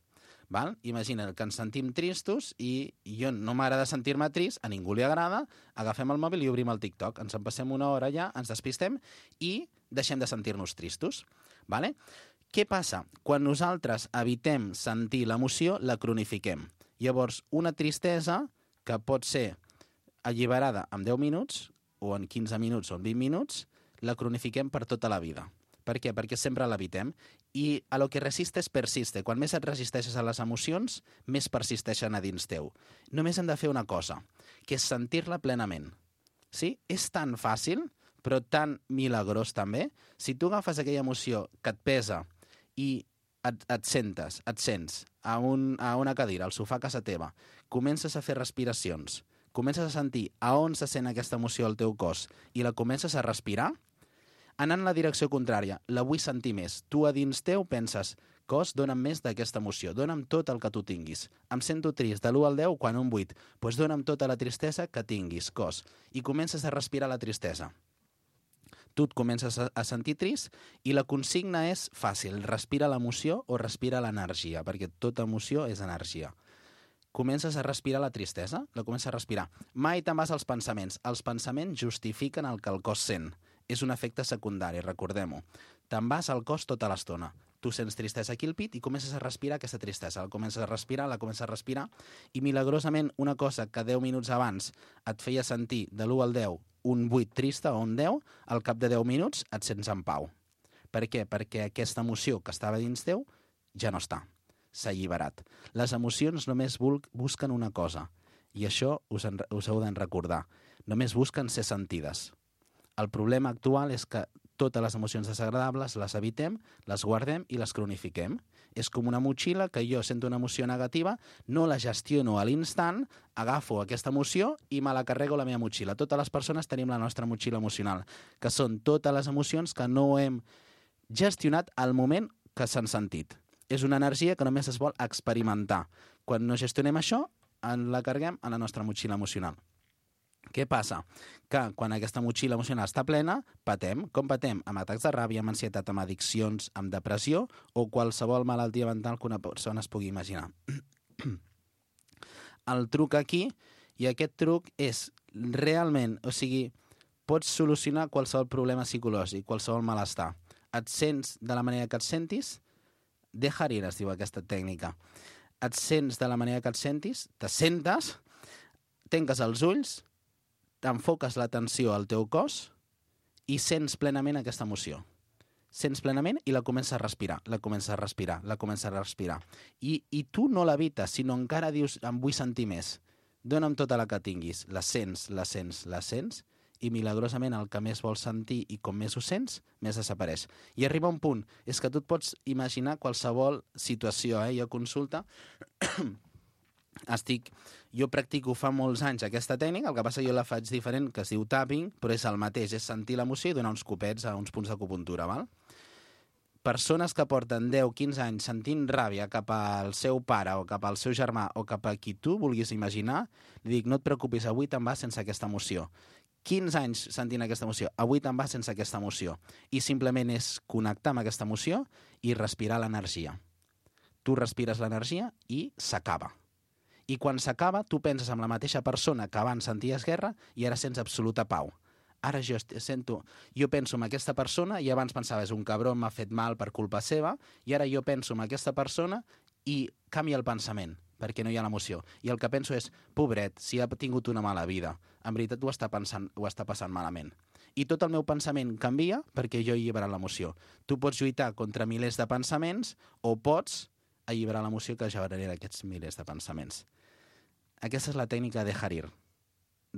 Val? Imagina que ens sentim tristos i jo no m'agrada sentir-me trist, a ningú li agrada, agafem el mòbil i obrim el TikTok. Ens en passem una hora allà, ens despistem i deixem de sentir-nos tristos. Vale? Què passa? Quan nosaltres evitem sentir l'emoció, la cronifiquem. Llavors, una tristesa que pot ser alliberada en 10 minuts, o en 15 minuts o en 20 minuts, la cronifiquem per tota la vida. Per què? Perquè sempre l'evitem. I a lo que resistes persiste. Quan més et resisteixes a les emocions, més persisteixen a dins teu. Només hem de fer una cosa, que és sentir-la plenament. Sí? És tan fàcil, però tan milagrós també. Si tu agafes aquella emoció que et pesa i et sents a una cadira, al sofà a casa teva, comences a fer respiracions, comences a sentir a on se sent aquesta emoció al teu cos i la comences a respirar, anant en la direcció contrària, la vull sentir més. Tu a dins teu penses, cos, dona'm més d'aquesta emoció, dona'm tot el que tu tinguis. Em sento trist, de l'1 al 10, quan un 8, doncs dona'm tota la tristesa que tinguis, cos. I comences a respirar la tristesa. Tu et comences a sentir trist i la consigna és fàcil, respira l'emoció o respira l'energia, perquè tota emoció és energia. Comences a respirar la tristesa, la comences a respirar. Mai te'n vas als pensaments. Els pensaments justifiquen el que el cos sent. És un efecte secundari, recordem-ho. Te'n vas al cos tota l'estona. Tu sents tristesa aquí al pit i comences a respirar aquesta tristesa. La comences a respirar, i milagrosament una cosa que 10 minuts abans et feia sentir de l'1 al 10 un 8 trista o un 10, al cap de 10 minuts et sents en pau. Per què? Perquè aquesta emoció que estava dins teu ja no està. S'ha alliberat. Les emocions només busquen una cosa, i això us heu de recordar. Només busquen ser sentides. El problema actual és que totes les emocions desagradables les evitem, les guardem i les cronifiquem. És com una motxilla que jo sento una emoció negativa, no la gestiono a l'instant, agafo aquesta emoció i me la carrego a la meva motxilla. Totes les persones tenim la nostra motxilla emocional, que són totes les emocions que no hem gestionat al moment que s'han sentit. És una energia que només es vol experimentar. Quan no gestionem això, la carreguem a la nostra motxilla emocional. Què passa? Que quan aquesta motxilla emocional està plena, patem. Com patem? Amb atacs de ràbia, amb ansietat, amb addiccions, amb depressió o qualsevol malaltia mental que una persona es pugui imaginar. El truc aquí, i aquest truc és realment, o sigui, pots solucionar qualsevol problema psicològic, qualsevol malestar. Et sents de la manera que et sentis, dejar ir, es diu aquesta tècnica. Et sents de la manera que et sentis, te sentes, tanques els ulls, t'enfoques l'atenció al teu cos i sents plenament aquesta emoció. Sents plenament i la comences a respirar, la comences a respirar, la comences a respirar. I tu no l'evites, sinó encara dius, em vull sentir més. Dóna'm tota la que tinguis. La sents, la sents, la sents, i milagrosament el que més vols sentir i com més ho sents, més desapareix. I arriba un punt, és que tu et pots imaginar qualsevol situació, Jo consulta... Jo practico fa molts anys aquesta tècnica, el que passa jo la faig diferent, que es diu tapping, però és el mateix, és sentir l'emoció i donar uns copets a uns punts d'acupuntura, val? Persones que porten 10-15 anys sentint ràbia cap al seu pare o cap al seu germà o cap a qui tu vulguis imaginar, li dic, no et preocupis, avui te'n vas sense aquesta emoció. 15 anys sentint aquesta emoció, avui te'n vas sense aquesta emoció. I simplement és connectar amb aquesta emoció i respirar l'energia. Tu respires l'energia i s'acaba. I quan s'acaba, tu penses amb la mateixa persona que abans senties guerra i ara sents absoluta pau. Ara jo penso en aquesta persona i abans pensava, és un cabró, m'ha fet mal per culpa seva, i ara jo penso en aquesta persona i canvia el pensament, perquè no hi ha l'emoció. I el que penso és, pobret, si ha tingut una mala vida, en veritat ho està passant malament. I tot el meu pensament canvia perquè jo he alliberat l'emoció. Tu pots lluitar contra milers de pensaments o pots alliberar l'emoció que genera aquests milers de pensaments. Aquesta és la tècnica de dejar ir.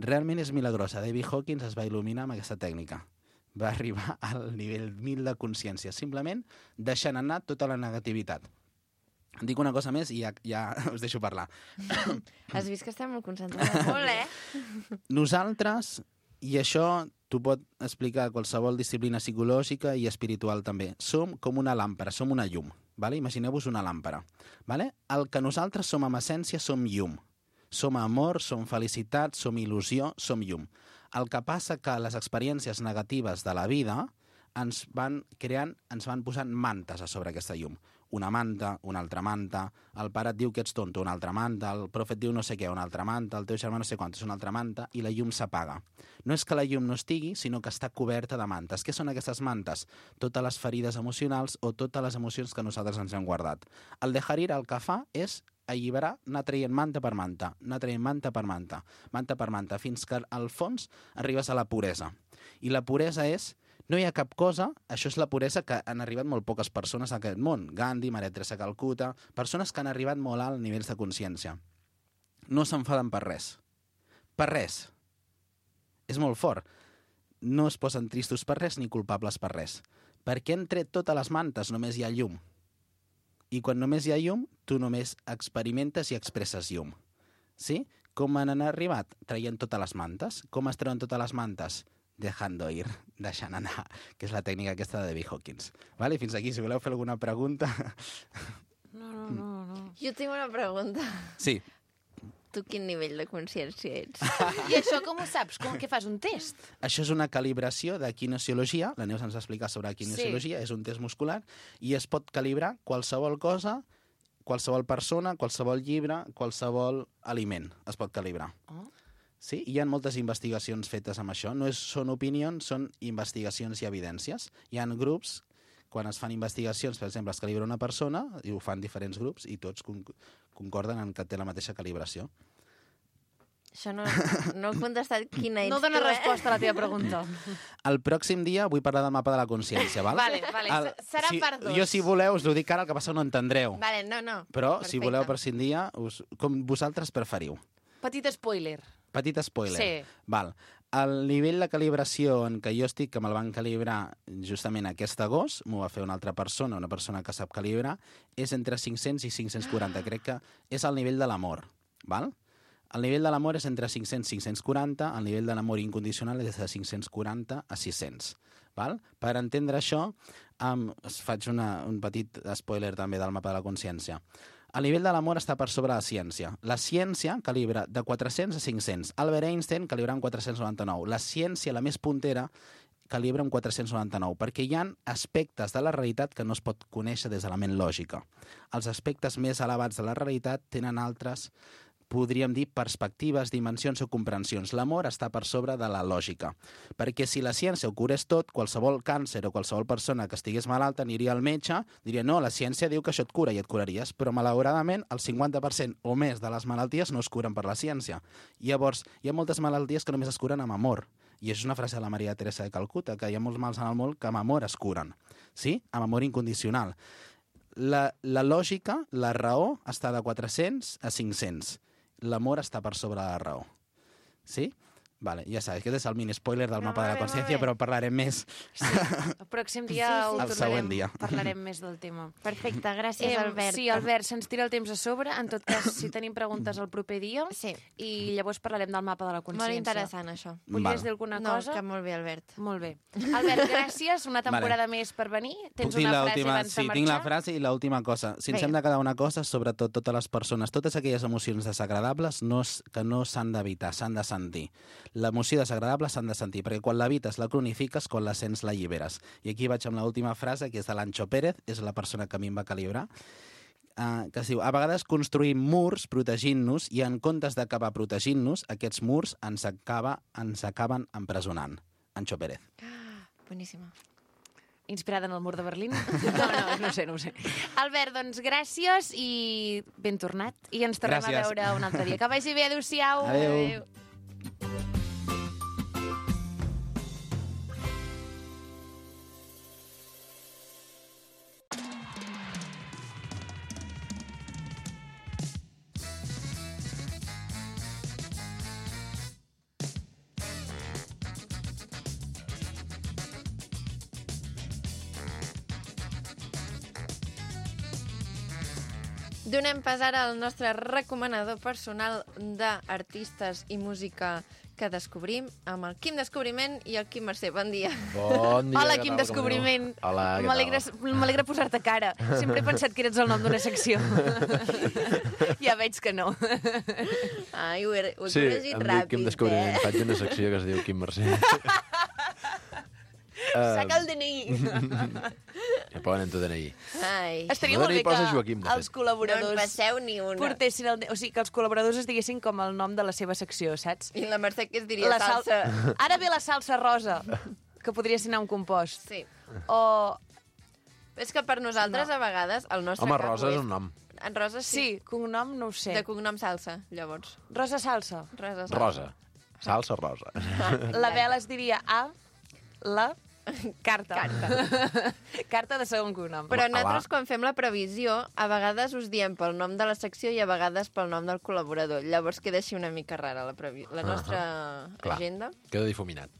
Realment és milagrosa. David Hawkins es va il·luminar amb aquesta tècnica. Va arribar al nivell 1000 de consciència, simplement deixant anar tota la negativitat. Dic una cosa més i ja us deixo parlar. Has vist que estem molt concentrats? Molt, Nosaltres, i això t'ho pot explicar qualsevol disciplina psicològica i espiritual també, som com una làmpara, som una llum. Vale? Imagineu-vos una làmpara. Vale? El que nosaltres som en essència som llum. Som amor, som felicitat, som il·lusió, som llum. El que passa que les experiències negatives de la vida ens van posant mantes a sobre aquesta llum. Una manta, una altra manta, el pare et diu que ets tonto, una altra manta, el profe et diu no sé què, una altra manta, el teu germà no sé quant, és una altra manta, i la llum s'apaga. No és que la llum no estigui, sinó que està coberta de mantes. Què són aquestes mantes? Totes les ferides emocionals o totes les emocions que nosaltres ens hem guardat. El dejar ir el que fa és alliberar, anar traient manta per manta, anar traient manta per manta, fins que al fons arribes a la puresa. I la puresa és, no hi ha cap cosa, això és la puresa que han arribat molt poques persones a aquest món. Gandhi, Maria Teresa Calcuta, persones que han arribat molt alt nivells de consciència. No s'enfaden per res. Per res. És molt fort. No es posen tristos per res ni culpables per res. Perquè entre totes les mantes només hi ha llum. I quan només hi ha llum, tu només experimentes i expresses llum. Sí? Com han arribat? Traient totes les mantes. Com es treuen totes les mantes? Dejando ir, deixant anar, que és la tècnica aquesta de David Hawkins. Vale? Fins aquí, si voleu fer alguna pregunta... No. Jo tinc una pregunta. Sí. Tu quin nivell de consciència ets? I això com ho saps? Què fas, un test? Això és una calibració de kinesiologia, la Neus ens va explicar sobre kinesiologia, és un test muscular, i es pot calibrar qualsevol cosa, qualsevol persona, qualsevol llibre, qualsevol aliment es pot calibrar. Oh. Sí? Hi ha moltes investigacions fetes amb això. No són opinions, són investigacions i evidències. Hi ha grups, quan es fan investigacions, per exemple, es calibra una persona, i ho fan diferents grups, i tots concorden en que té la mateixa calibració. Això no he contestat quina ets No dona tu, resposta a la teva pregunta. El pròxim dia vull parlar del mapa de la consciència, val? Vale. Serà per dos. Jo, si voleu, us ho dic ara, el que passa no entendreu. Vale, no. Però, Perfecte. si voleu, per un dia, com vosaltres preferiu. Petit spoiler. Petit spoiler. Sí. Val. El nivell de calibració en què jo estic, que me'l van calibrar justament aquest agost, m'ho va fer una altra persona, una persona que sap calibrar, és entre 500 i 540. Crec que és el nivell de l'amor. Val? El nivell de l'amor és entre 500 i 540, el nivell de l'amor incondicional és de 540 a 600. Val? Per entendre això, us faig un petit spoiler també del mapa de la consciència. El nivell de l'amor està per sobre la ciència. La ciència calibra de 400 a 500. Albert Einstein calibra en 499. La ciència, la més puntera, calibra en 499, perquè hi ha aspectes de la realitat que no es pot conèixer des de la ment lògica. Els aspectes més elevats de la realitat tenen altres, podríem dir, perspectives, dimensions o comprensions. L'amor està per sobre de la lògica. Perquè si la ciència ho curés tot, qualsevol càncer o qualsevol persona que estigués malalta aniria al metge, diria, no, la ciència diu que això et cura i et curaries, però malauradament el 50% o més de les malalties no es curen per la ciència. Llavors, hi ha moltes malalties que només es curen amb amor. I és una frase de la Maria Teresa de Calcuta, que hi ha molts mals en el món que amb amor es curen. Sí? Amb amor incondicional. La lògica, la raó, està de 400 a 500. L'amor està per sobre de la raó. Sí? Vale, ja saps, aquest és el mini-spoiler del mapa de la consciència, però parlarem més. Sí, el pròxim dia ho El següent dia. Parlarem més del tema. Perfecte, gràcies, Albert. Sí, Albert, se'ns tira el temps a sobre. En tot cas, si tenim preguntes el proper dia, Sí. i llavors parlarem del mapa de la consciència. Molt interessant, això. Volies dir alguna cosa? No, que molt bé, Albert. Molt bé. Albert, gràcies. Una temporada més per venir. Tens una frase abans de marxar? Tinc la frase i l'última cosa. Si ens hem de quedar una cosa, sobretot totes les persones, totes aquelles emocions desagradables que no s'han d'evitar, s'han de sentir. L'emoció desagradable s'han de sentir, perquè quan l'evites, la cronifiques, quan la sents, la alliberes. I aquí vaig amb l'última frase, que és de l'Ancho Pérez, és la persona que a mi em va calibrar, que es diu, a vegades construïm murs protegint-nos i en comptes d'acabar protegint-nos, aquests murs ens acaben empresonant. Ancho Pérez. Boníssima. Inspirada en el mur de Berlín? No ho sé. Albert, doncs gràcies i ben tornat. I ens tornem a veure un altre dia. Que vagi bé, adéu-siau. Adéu. Donem pas ara al nostre recomanador personal d'artistes i música que descobrim amb el Quim Descobriment i el Quim Mercè. Bon dia. Bon dia. Hola, Quim Descobriment. Hola, què tal? M'alegra posar-te cara. Sempre he pensat que eres el nom d'una secció. Ja veig que no. Ai, ho he Sí, corregit em dic ràpid, Quim Descobriment. Faig una secció que es diu Quim Mercè. Saca el DNI. Ja poden en tu DNI. Ai. Estaria No molt bé li posa que Joaquim, de fet. els col·laboradors... No en passeu ni una. Portessin o sigui, que els col·laboradors es diguessin com el nom de la seva secció, saps? I la Mercè que es diria salsa. Ara ve la salsa rosa, que podria ser un compost. Sí. O... És que per nosaltres, a vegades, el nostre Home, cap Rosa ho és un nom. En Rosa sí. Sí, cognom no ho sé. De cognom salsa, llavors. Rosa salsa. Rosa salsa. Rosa. Salsa rosa. La Bela es diria A, la... Carta. Carta de segon cognom. Però nosaltres, quan fem la previsió, a vegades us diem pel nom de la secció i a vegades pel nom del col·laborador. Llavors queda així una mica rara la nostra Clar. agenda. Queda difuminat.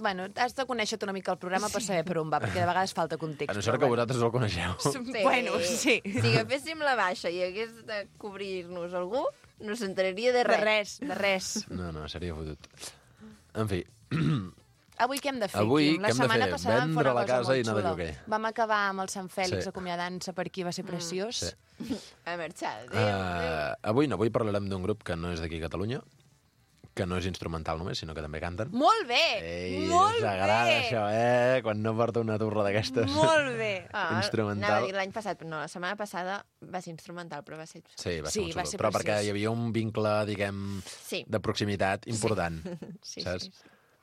Bueno, has de conèixer una mica el programa per saber per on va, perquè de vegades falta context. A no ser que vosaltres el coneixeu. Bueno, sí. Si agaféssim la baixa i hagués de cobrir-nos algú, no s'enteraria de res. De res. No, seria fotut. En fi, Avui què hem de fer, Avui, Quim? La què hem de setmana fer? passada vam fer Vendre una la cosa casa i molt anar de xula. lloguer. Vam acabar amb el Sant Fèlix Sí. acomiadant-se per aquí, va ser preciós. sí. A marxar. Adéu. Avui parlarem d'un grup que no és d'aquí a Catalunya, que no és instrumental només, sinó que també canten. Molt bé! Ei, Molt us agrada bé! això, Quan no porta una turra d'aquestes. Molt bé! Instrumental. Anava a dir l'any passat, però no, la setmana passada va ser instrumental, però va ser... Sí, va ser Sí, molt va xulo. ser Però preciós. perquè hi havia un vincle, diguem, Sí. de proximitat important, Sí, saps? sí.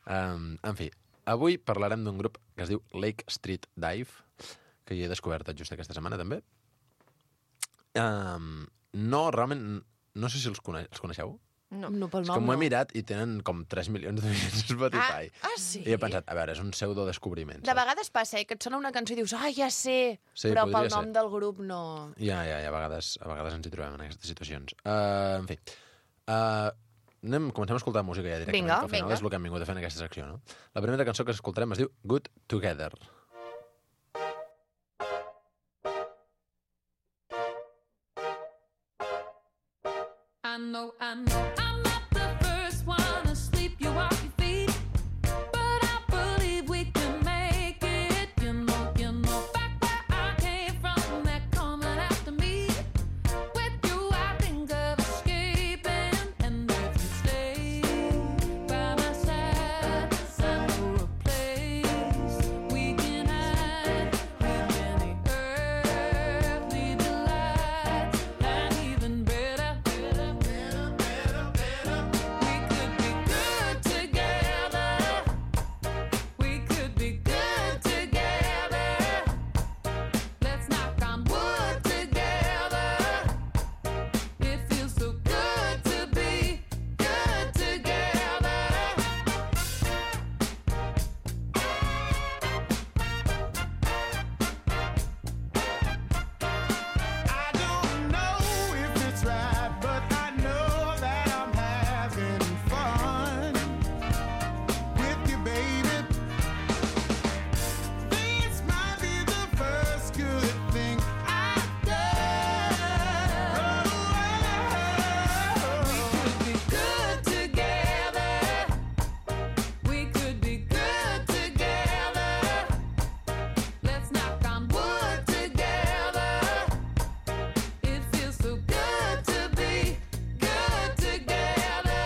En fi, avui parlarem d'un grup que es diu Lake Street Dive, que hi he descobert just aquesta setmana, també. No, realment, no sé si els coneixeu. No. No, pel És nom que m'ho he no. mirat i tenen com 3 milions d'oients a Spotify. Sí? I he pensat, a veure, és un pseudo-descobriment. De vegades passa, que et sona una cançó i dius, ja sé, Sí, però podria pel nom ser. del grup no... Ja, a vegades ens hi trobem en aquestes situacions. En fi, comencem a escoltar música ja directament, Vinga, que al final vinga. és el que hem vingut a fer en aquesta secció, no? La primera cançó que escoltarem es diu Good Together. I know I'm not the first one asleep. You off your feet, but I believe we can make it. You know, back where I came from, they're coming after me. With you, I think of escaping, and if you stay by my side, I know a place we can hide with any earthly delights, and even better. We could be good together. Let's knock on wood together. It feels so good to be good together. I don't know if it's right, but I know that I'm having fun with you, baby. This might be the first good thing I've done. We could be good together. We could be good together. Let's knock on wood together. It feels so good to be good together.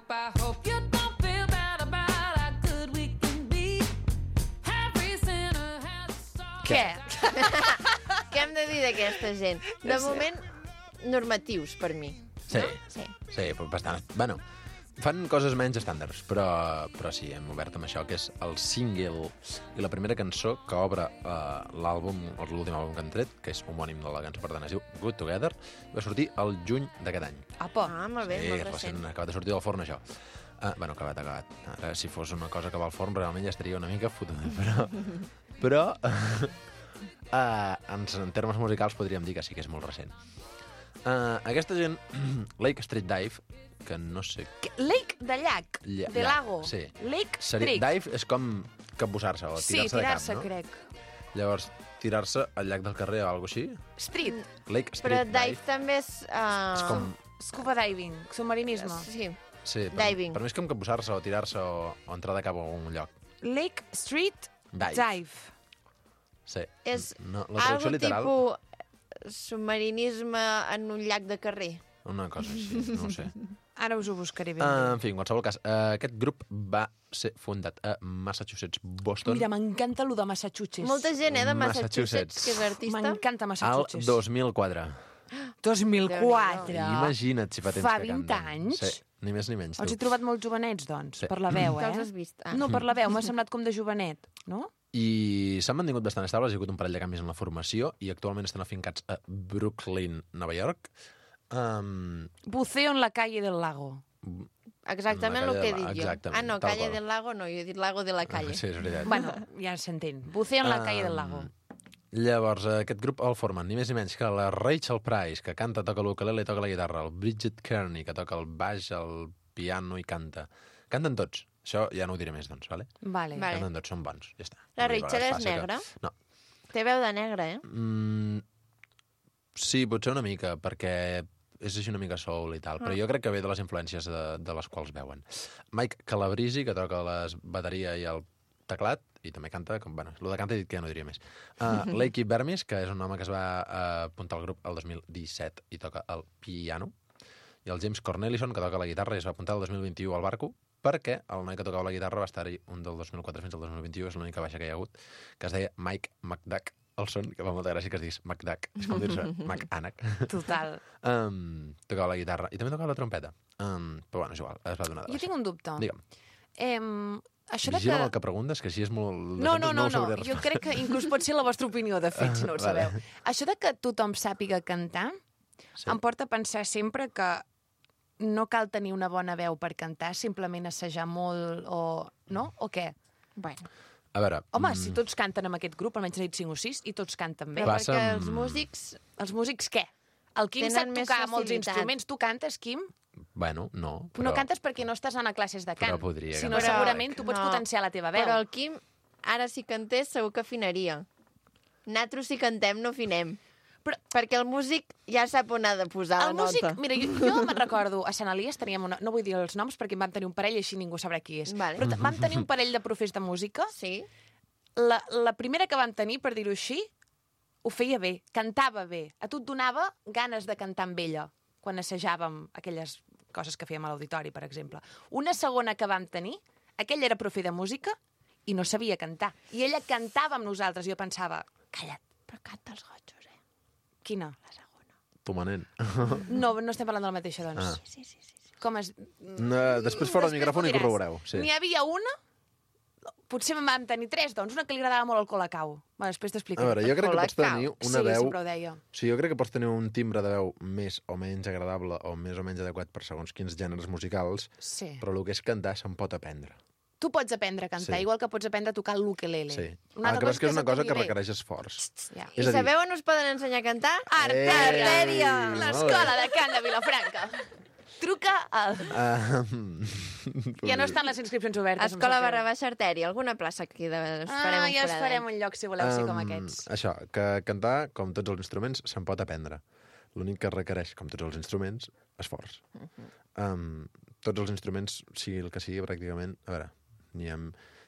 I hope you don't feel bad about how good we can be. Every sinner has a song. Què? Què hem de dir d'aquesta gent? De moment, normatius, per mi. Sí, Sí. sí, però bastant. Bueno, fan coses menys estàndards, però sí, hem obert amb això, que és el single i la primera cançó que obre l'àlbum, l'últim àlbum que han tret, que és homònim de la cançó, per tant, es diu Good Together, va sortir el juny d'aquest any. Apa. Ah, molt bé, Sí, molt recent, recent. acabat de sortir del forn, això. Bueno, acabat. Ara, si fos una cosa que va al forn, realment ja estaria una mica fotuda, però en termes musicals podríem dir que sí que és molt recent. Aquesta gent, Lake Street Dive, que no sé... Lake de llac, de llac, lago. sí. Lake Seria, Street. dive és com capbussar-se o Sí, tirar-se de tirar-se, cap, no? crec. Llavors, tirar-se al llac del carrer o alguna cosa així? Street. Lake Però Street dive també és... És com... Scuba diving, submarinisme. Sí. Sí, Diving. per mi és com capbussar-se o tirar-se o entrar de cap a un lloc. Lake Street Dive. Dive. Sí. És No, la traducció algo literal, tipus submarinisme en un llac de carrer. una cosa així, no ho sé. Ara us ho buscaré ben En fi, en qualsevol cas, aquest grup va ser fundat a Massachusetts, Boston, Mira, m'encanta lo de Massachusetts. Molta gent, de Massachusetts. Massachusetts, que és artista. M'encanta al Massachusetts. 2004. 2004. Imagina't si fa temps Fa que 20 canten. anys? Sí, ni més ni menys. Els tu. he trobat molt jovenets, doncs, Sí. per la veu, Que els eh? has vist? Ah. No, per la veu, m'ha semblat com de jovenet, no? I s'han mantingut bastant estables, hi ha hagut un parell de canvis en la formació i actualment estan afincats a Brooklyn, Nova York. Buceo en la calle del lago. Exactament el que he dit jo. Exactament, Ah, no, tal Calle qual. del Lago no, jo he dit Lago de la Calle. Sí, és veritat. Bueno, ja s'entén. Buceo en la calle del lago. Llavors, aquest grup el formen ni més ni menys que la Rachel Price, que canta, toca l'ukulele i toca la guitarra, el Bridget Kearney, que toca el baix, el piano i canta. Canten tots. Això ja no ho diré més, doncs, vale? Vale. Canten tots, són bons, ja està. La Vull dir, Rachel a és vegades passa negra? Que... No. Té veu de negra, eh? Sí, potser una mica, perquè és així una mica soul i tal, però jo crec que ve de les influències de les quals veuen. Mike Calabresi, que toca la bateria i el teclat, i també canta, bueno, el de canta he dit que ja no diria més. Lakey Bermis, que és un home que es va apuntar al grup el 2017 i toca el piano, i el James Cornelison, que toca la guitarra i es va apuntar el 2021 al barco, perquè el noi que tocava la guitarra va estar-hi un del 2004 fins al 2021, és l'única baixa que hi ha hagut, que es deia Mike McDuck Olson, que fa molta gràcia que es diguis McDuck, és com dir-se McAnac. Total. Tocava la guitarra i també tocava la trompeta. Però bueno, és igual, es va donar de Jo tinc un dubte. Digue'm. Això de Vigila que... el que preguntes, que així és molt... No, ho sabré jo respondre. crec que inclús pot ser la vostra opinió, de fet, si no ho Vale. sabeu. Això de que tothom sàpiga cantar em porta a pensar sempre que no cal tenir una bona veu per cantar, simplement assajar molt o... No? O què? Bueno. A veure... Home, si tots canten amb aquest grup, almenys n'he dit 5 o 6, i tots canten bé. Però perquè els músics... Els músics què? El Quim Tenen sap més tocar molts facilitat. instruments. Tu cantes, Quim? Bueno, no, però... No cantes perquè no estàs anant a classes de cant. Però podria Si no, cantar. segurament tu pots potenciar la teva veu. Però el Quim, ara si cantés, segur que afinaria. Nosaltres si cantem no afinem. Però, perquè el músic ja sap on ha de posar El la músic, nota. mira, jo me'n recordo, a Sant Elies teníem una... No vull dir els noms perquè en vam tenir un parell i així ningú sabrà qui és. Vale. Però vam tenir un parell de profes de música. Sí. La primera que vam tenir, per dir-ho així, ho feia bé, cantava bé. A tu et donava ganes de cantar amb ella, quan assajàvem aquelles coses que fèiem a l'auditori, per exemple. Una segona que vam tenir, aquella era profe de música i no sabia cantar. I ella cantava amb nosaltres. Jo pensava, calla't, però canta els gotxos, quina? La segona. Tomanent. No estem parlant de la mateixa, doncs. Ah. Sí. Com es... No, després fora del micròfon i ho diràs. corroboreu. Sí. N'hi havia una, potser en vam tenir 3, doncs, una que li agradava molt el colacau. Bueno, després A t'explicaré. veure, jo crec que pots tenir una veu... Sí, sempre ho deia. O sigui, jo crec que pots tenir un timbre de veu més o menys agradable o més o menys adequat per segons quins gèneres musicals, Sí. però el que és cantar se'n pot aprendre. Tu pots aprendre a cantar, Sí. igual que pots aprendre a tocar l'ukelele. Sí. Una El altra que passa és que és una cosa que s'entengui bé. requereix esforç. Ja. I És a dir- sabeu on us poden ensenyar a cantar? Artèria! Molt bé. L'escola de cant de Vilafranca. Truca al... Ja no estan les inscripcions obertes. em Escola sap greu. // Artèria, alguna plaça aquí us farem un ja us foradet. farem un lloc, si voleu ser com aquests. Això, que cantar, com tots els instruments, se'n pot aprendre. L'únic que requereix, com tots els instruments, esforç. Tots els instruments, sigui el que sigui, pràcticament... A veure,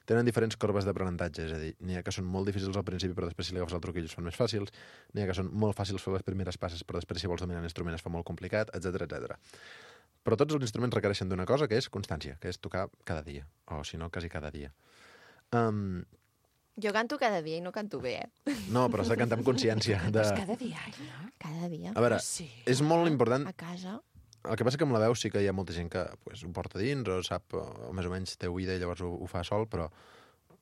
tenen diferents corbes d'aprenentatge, és a dir, n'hi ha que són molt difícils al principi, però després si li agafes el truquillo són més fàcils, n'hi ha que són molt fàcils fer les primeres passes, però després si vols dominar l'instrument es fa molt complicat, etc etc. Però tots els instruments requereixen d'una cosa, que és constància, que és tocar cada dia, o si no, quasi cada dia. Jo canto cada dia i no canto bé, No, però has de cantar amb consciència. Cada dia, no? Cada dia. A veure, Sí. és molt important... A casa. El que passa que amb la veu sí que hi ha molta gent que pues, ho porta dins o sap, o més o menys té oïda i llavors ho fa sol, però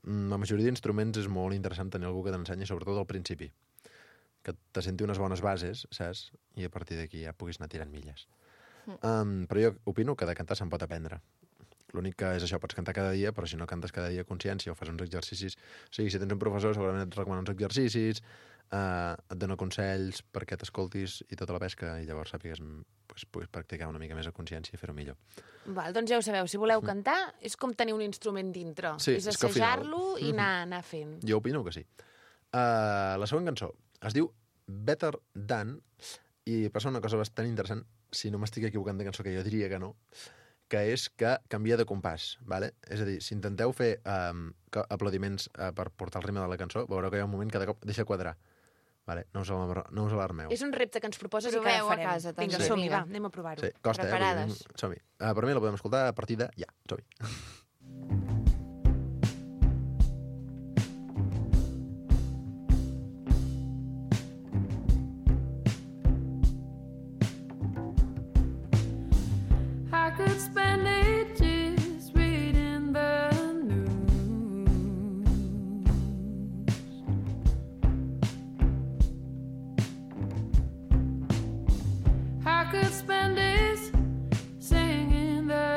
la majoria d'instruments és molt interessant tenir algú que t'ensenyi, sobretot al principi. Que te senti unes bones bases, saps? I a partir d'aquí ja puguis anar tirant milles. Però jo opino que de cantar se'n pot aprendre. L'únic que és això, pots cantar cada dia, però si no cantes cada dia a consciència o fas uns exercicis... O sigui, si tens un professor, segurament et recomana uns exercicis, et dona consells perquè t'escoltis i tota la pesca, i llavors sàpigues, pues, puguis practicar una mica més a consciència i fer-ho millor. Val, doncs ja ho sabeu, si voleu cantar, és com tenir un instrument dintre. Sí, és és que al final- assajar-lo i anar fent. Jo opino que sí. La següent cançó es diu Better Than, i passa una cosa bastant interessant, si no m'estic equivocant de cançó, que jo diria que no, que és que canvia de compàs, ¿vale? És a dir, si intenteu fer aplaudiments per portar el ritme de la cançó, veureu que hi ha un moment que de cop deixa quadrar. Vale? No us alarmeu. És un repte que ens proposes i que Proveu ara a farem. casa, també. Vinga, som-hi, Vinga. va, anem a provar-ho. Sí, costa, Preparades. Som-hi. Per mi la podem escoltar a partir de ja. Som-hi. I could spend ages reading the news. I could spend days singing the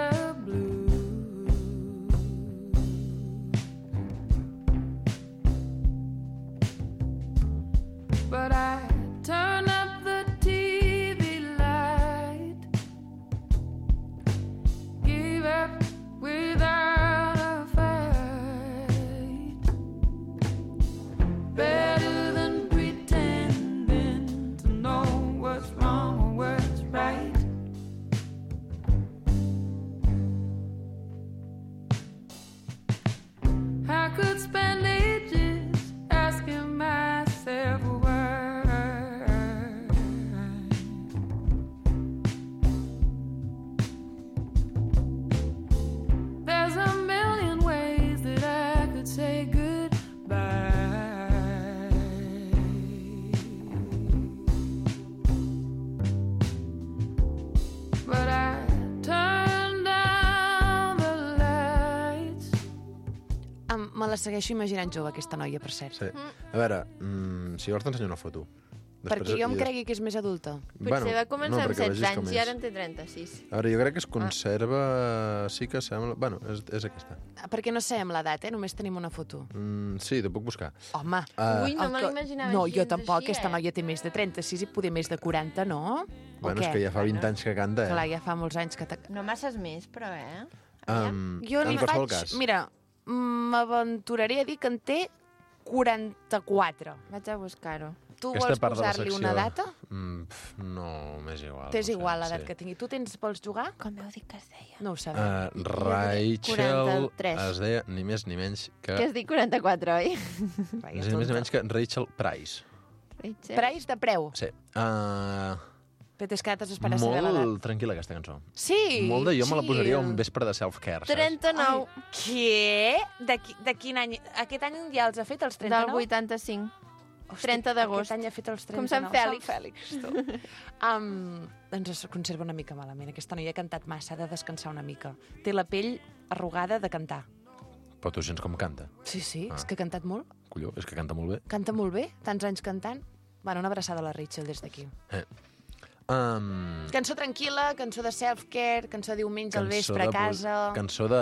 la segueixo imaginant jove, aquesta noia, per cert. Sí. A veure, si vols t'ensenyo una foto. Perquè jo em cregui que és més adulta. Potser va començar amb perquè 16 vegis com anys és. i ara en té 36. A veure, jo crec que es conserva... Sí que sembla... Bueno, és aquesta. Perquè no sabem l'edat, només tenim una foto. Sí, te puc buscar. Home. Ui, no el me que- l'imaginava No, jo gens tampoc. així, Aquesta noia té més de 36 i poder més de 40, no? Bueno, o és què? que ja fa 20 anys que canta, Clar, ja fa molts anys que... No masses més, però, Jo en li qualsevol faig... cas. Mira, m'aventuraré a dir que en té 44. Vaig a buscar-ho. Tu Aquesta vols part de la posar-li secció- una data? No, m'és igual. T'és no sé, igual l'edat sí. que tingui. Tu vols jugar? Com heu dit que es deia? No ho sabem. Rachel 43. es deia ni més ni menys que... Que has dit 44, oi? Ni més ni menys que Rachel Price. Price de preu. Sí. Però és que ara t'has d'esperar a saber l'edat. Molt tranquil·la, aquesta cançó. Sí, Molt de jo me la posaria chill. un vespre de self-care, saps? 39. Què? De quin any? Aquest any ja els ha fet, els 39? Del 85. 30 d'agost. Aquest any ha fet els 39. Com Sant Fèlix. Sant Fèlix, tu. Doncs es conserva una mica malament. Aquesta noia ha cantat massa, ha de descansar una mica. Té la pell arrugada de cantar. Però tu sents com canta. Sí, és que ha cantat molt. Colló, és que canta molt bé. Canta molt bé, tants anys cantant. Bueno, una abraçada a la Rachel des d'aquí. Cançó tranquil·la, cançó de self-care, cançó de diumenge al vespre a casa... Cançó de...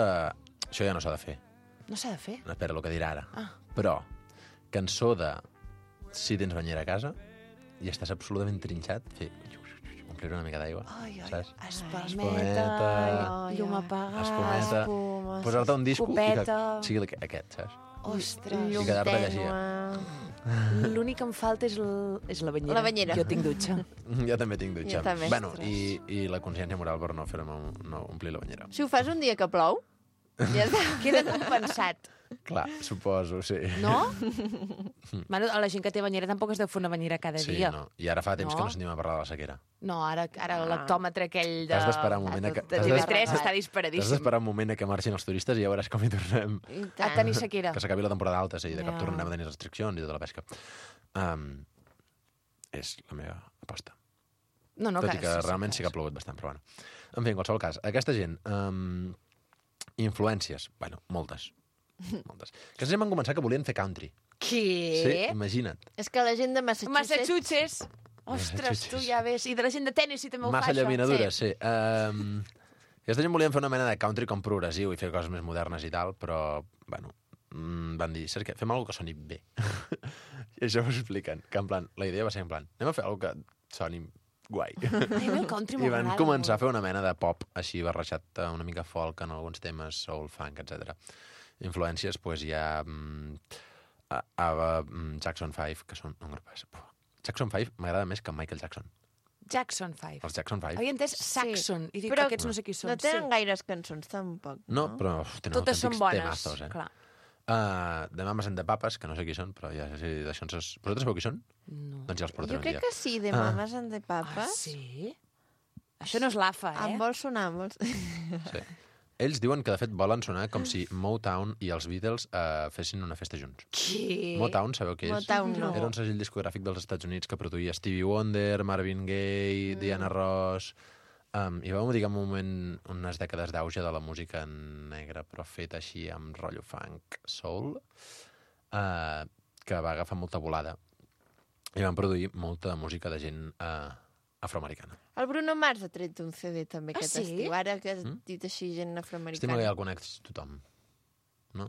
Això ja no s'ha de fer. No s'ha de fer? No, espera, el que dirà ara. Ah. Però, cançó de... Si tens banyera a casa i estàs absolutament trinxat, fer... Omplir una mica d'aigua, saps? Espalmeta, llum apagada, espumeta, espuma, posar-te un disco i que copeta. sigui aquest, saps? Ostres. I quedar-te a llegir. L'únic que em falta és la banyera. La banyera. Jo tinc dutxa. Jo també tinc dutxa. Jo també. Bueno, i la consciència moral per no fer-me no omplir la banyera. Si ho fas un dia que plou, ja està. Queda compensat. Clar, suposo, sí. No? Bueno, a la gent que té banyera tampoc es deu fer una banyera cada Sí, dia. no. I ara fa temps No? que no sentim a parlar de la sequera. No, ara l'hectòmetre aquell de... Has d'esperar un moment a que... de TV3 està disparadíssim. Has d'esperar un moment a que marxin els turistes i ja veuràs com hi tornem. A tenir sequera. Que s'acabi la temporada alta, sí, de cap Ja. tornem a tenir restriccions i tota la pesca. És la meva aposta. No, Tot que i que sí, realment sí que ha plogut bastant, però bueno. En fi, en qualsevol cas, aquesta gent... influències, bueno, moltes. Moltes. Aquesta gent van començar que volien fer country. Què? Sí, imagina't. És que la gent de Massachusetts. Ostres, tu ja ves. I de la gent de Tennessee també ho fa, Massa això. llaminadura, sí. Aquesta gent volien fer una mena de country com progressiu i fer coses més modernes i tal, però, bueno, van dir, saps què? Fem alguna que soni bé. I això ho expliquen, que en plan, la idea va ser en plan, anem a fer alguna que soni guai. Ai, el country I van m'agrada començar a molt. fer una mena de pop així barrejat una mica folk en alguns temes, soul, funk, etc. Influències, doncs hi ha Jackson 5, que són un grup... Jackson 5 m'agrada més que Michael Jackson. Jackson 5. Els Jackson 5. Havia entès Saxon. I dic Però que aquests no sé qui són. no tenen gaires cançons, tampoc. No, però tenen Totes són autèntics bones, temazos, clar. De Mamas and the Papas, que no sé qui són, però ja sé d'això ens... Vosaltres sabeu qui són? No. Doncs ja els portaré Jo un crec dia. que sí, de Mamas and the Papas. Ah, sí? Això no és l'AFA, Em vol sonar, em vol... Sí. Ells diuen que, de fet, volen sonar com si Motown i els Beatles fessin una festa junts. Què? Motown, sabeu què és? Motown no. Era un segell discogràfic dels Estats Units que produïa Stevie Wonder, Marvin Gaye, Diana Ross... I va dir un moment, unes dècades d'auge de la música negra, però feta així amb rotllo funk, soul, que va agafar molta volada. I van produir molta música de gent afroamericana. El Bruno Mars ha tret un CD també aquest sí? estiu. Ara que has dit així gent afroamericana. Estima que ja el coneix tothom, no?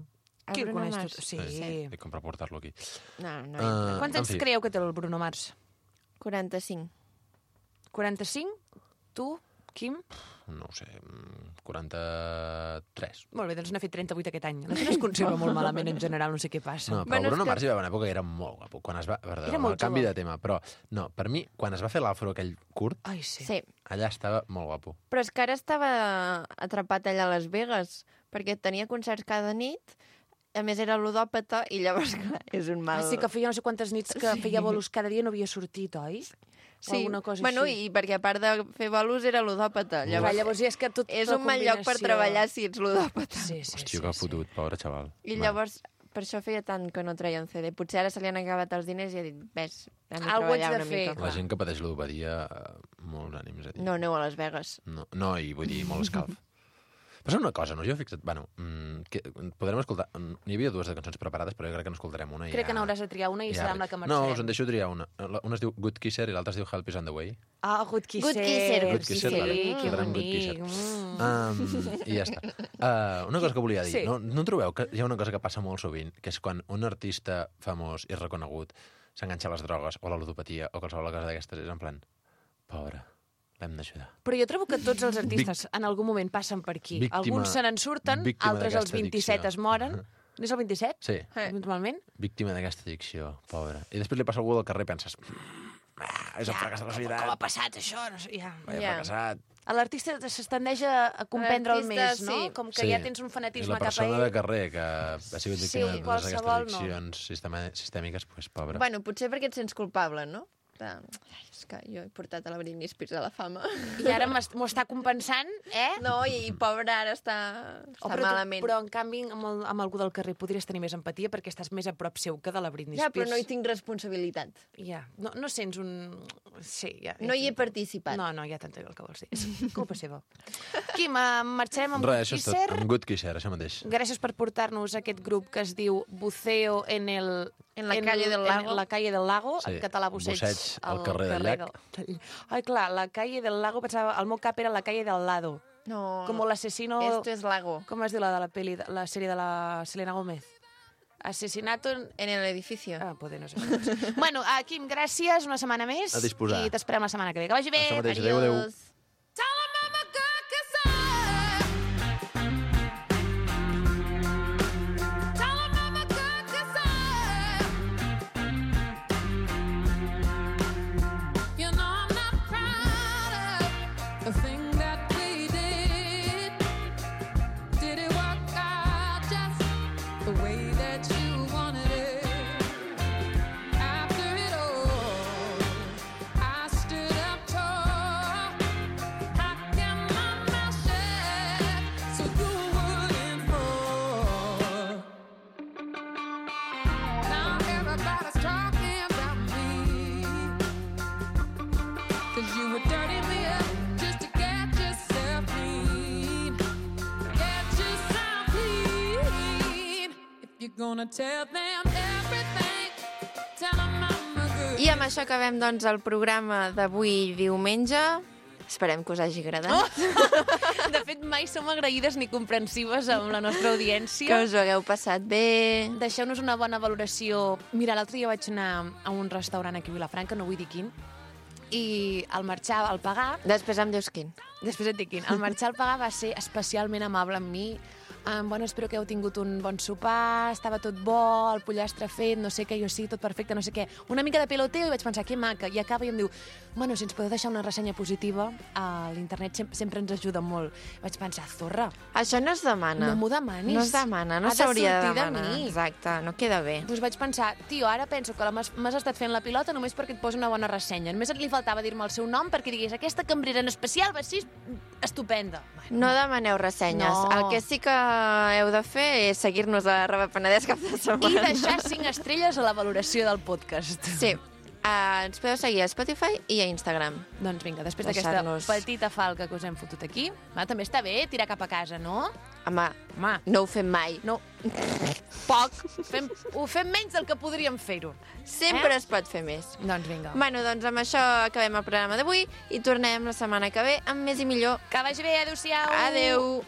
Qui el Bruno coneix Mars? tot? Sí. I com per portar-lo aquí. No. Quants anys creieu que té el Bruno Mars? 45. 45? Tu, Quim? No ho sé, 43. Molt bé, doncs n'ha fet 38 aquest any. La gent es conserva molt malament en general, no sé què passa. No, però Bruno Mars hi va haver una època que era molt guapo. Quan es va... Perdó, Era molt el canvi jove. de tema, però no, per mi, quan es va fer l'afro aquell curt, Ai, sí. Sí. allà estava molt guapo. Però és que ara estava atrapat allà a Las Vegas, perquè tenia concerts cada nit, a més era ludòpata, i llavors, clar, és un mal... Ah, sí, que feia no sé quantes nits que feia bolos cada dia i no havia sortit, oi? O Sí, alguna cosa bueno, així. i perquè a part de fer bolos era ludòpata. Llavors ja és que tot és la un mal lloc per combinació. treballar si ets ludòpata. Sí, Hòstia, que fotut, pobre xaval. I llavors, per això feia tant que no treia un CD. Potser ara se li han acabat els diners i ha dit, ves, hem de Algú treballar ets de una fer, mica. La gent que pateix ludopatia, molts ànims a dir. No aneu a Las Vegas. No, i vull dir, molt escalf. Passa una cosa, no? Jo he fixat... Bueno, que podrem escoltar... N'hi havia dues de cançons preparades, però jo crec que n'escoltarem una. Crec que n'hauràs de triar una i serà amb la que marxarem. No, us en deixo triar una. Una es diu Good Kisser i l'altra es diu Help is on the way. Ah, Good Kisser. Good Kisser, sí, vale. que Escoltarem Good Kisser. I ja està. Una cosa que volia dir. Sí. No trobeu que hi ha una cosa que passa molt sovint, que és quan un artista famós i reconegut s'enganxa a les drogues o a la ludopatia o qualsevol cosa d'aquestes, és en plan, pobre, l'hem d'ajudar. Però jo trobo que tots els artistes en algun moment passen per aquí. Alguns se n'en surten, altres als 27 es moren. És el 27? Sí. Habitualment? Víctima d'aquesta addicció, pobre. I després li passa a algú del carrer i penses, és un fracàs de la societat. Com ha passat això? No sé, ja. Fracassat. L'artista es tendeix a comprendre'l més, no? sí. Com que ja tens un fanatisme cap a ell. I la persona de carrer que ha sigut víctima de totes aquestes addiccions sistèmiques, doncs, pobre. Bueno, potser perquè et sents culpable, no? És que jo he portat a la Britney Spears a la fama. I ara m'ho està compensant, No, i pobre ara està malament. Però, en canvi, amb algú del carrer podries tenir més empatia perquè estàs més a prop seu que de la Britney Ja, Spears. però no hi tinc responsabilitat. Ja, no sents un... Sí, ja. No hi he participat. No, ja t'entenc el que vols dir. És culpa seva. Quim, marxarem amb Good Això és tot, Kisser. amb Good Kisser, això mateix. Gràcies per portar-nos aquest grup que es diu Buceo en la calle del Lago. En la calle del Lago, Sí, en català busseig al carrer del llac. Ai, clar, la calle del Lago, pensava, el meu cap era la calle del Lado. No, Como l'asesino... esto es Lago. Com es diu la de la peli, la sèrie de la Selena Gómez? Asesinato en el edificio. Poder no sé. Bueno, Quim, gràcies, una setmana més. A disposar. I t'esperem la setmana que ve. Que vagi bé. Això mateix, adéu. You know I'm not proud of the thing that we did. Did it work out just the way that you wanted it? After it all, I stood up tall. How can my mouth shut so you wouldn't fall? Now everybody's talking about me. 'Cause you were dirty me up just to get yourself clean. Get yourself clean. If you're gonna tell them everything, tell them I'm a good. I amb això acabem, doncs, el programa d'avui diumenge. Esperem que us hagi agradat. De fet, mai som agraïdes ni comprensives amb la nostra audiència. Que us ho hagueu passat bé. Deixeu-nos una bona valoració. Mira, l'altre dia vaig anar a un restaurant aquí a Vilafranca, no vull dir quin, i al marxar, al pagar... Després em dius quin. Després et dic quin. Al marxar al pagar va ser especialment amable amb mi. Bueno, espero que heu tingut un bon sopar, estava tot bo, el pollastre fet, no sé què, jo sí, tot perfecte, no sé què. Una mica de peloteo i vaig pensar, que maca. I acaba i em diu, bueno, si ens podeu deixar una ressenya positiva, a l'internet sempre ens ajuda molt. Vaig pensar, zorra. Això no es demana. No m'ho demanis. No es demana, no Ha de s'hauria de sortir de demanar. mi. Exacte, no queda bé. Doncs vaig pensar, tio, ara penso que m'has estat fent la pilota només perquè et posi una bona ressenya. Només li faltava dir-me el seu nom perquè digués, aquesta cambrera en especial va ser estupenda. No demaneu ressenyes. No. El que sí que heu de fer és seguir-nos a Arroba Penedès cap de setmana. I deixar 5 estrelles a la valoració del podcast. Sí. Ens podeu seguir a Spotify i a Instagram. Doncs vinga, després d'aquesta Deixar-nos- petita falca que us hem fotut aquí, també està bé tirar cap a casa, no? Home, no ho fem mai. No. Poc. Ho fem menys del que podríem fer-ho. Sempre es pot fer més. Doncs vinga. Bueno, doncs amb això acabem el programa d'avui i tornem la setmana que ve amb més i millor. Que vagi bé, adéu-siau. Adéu.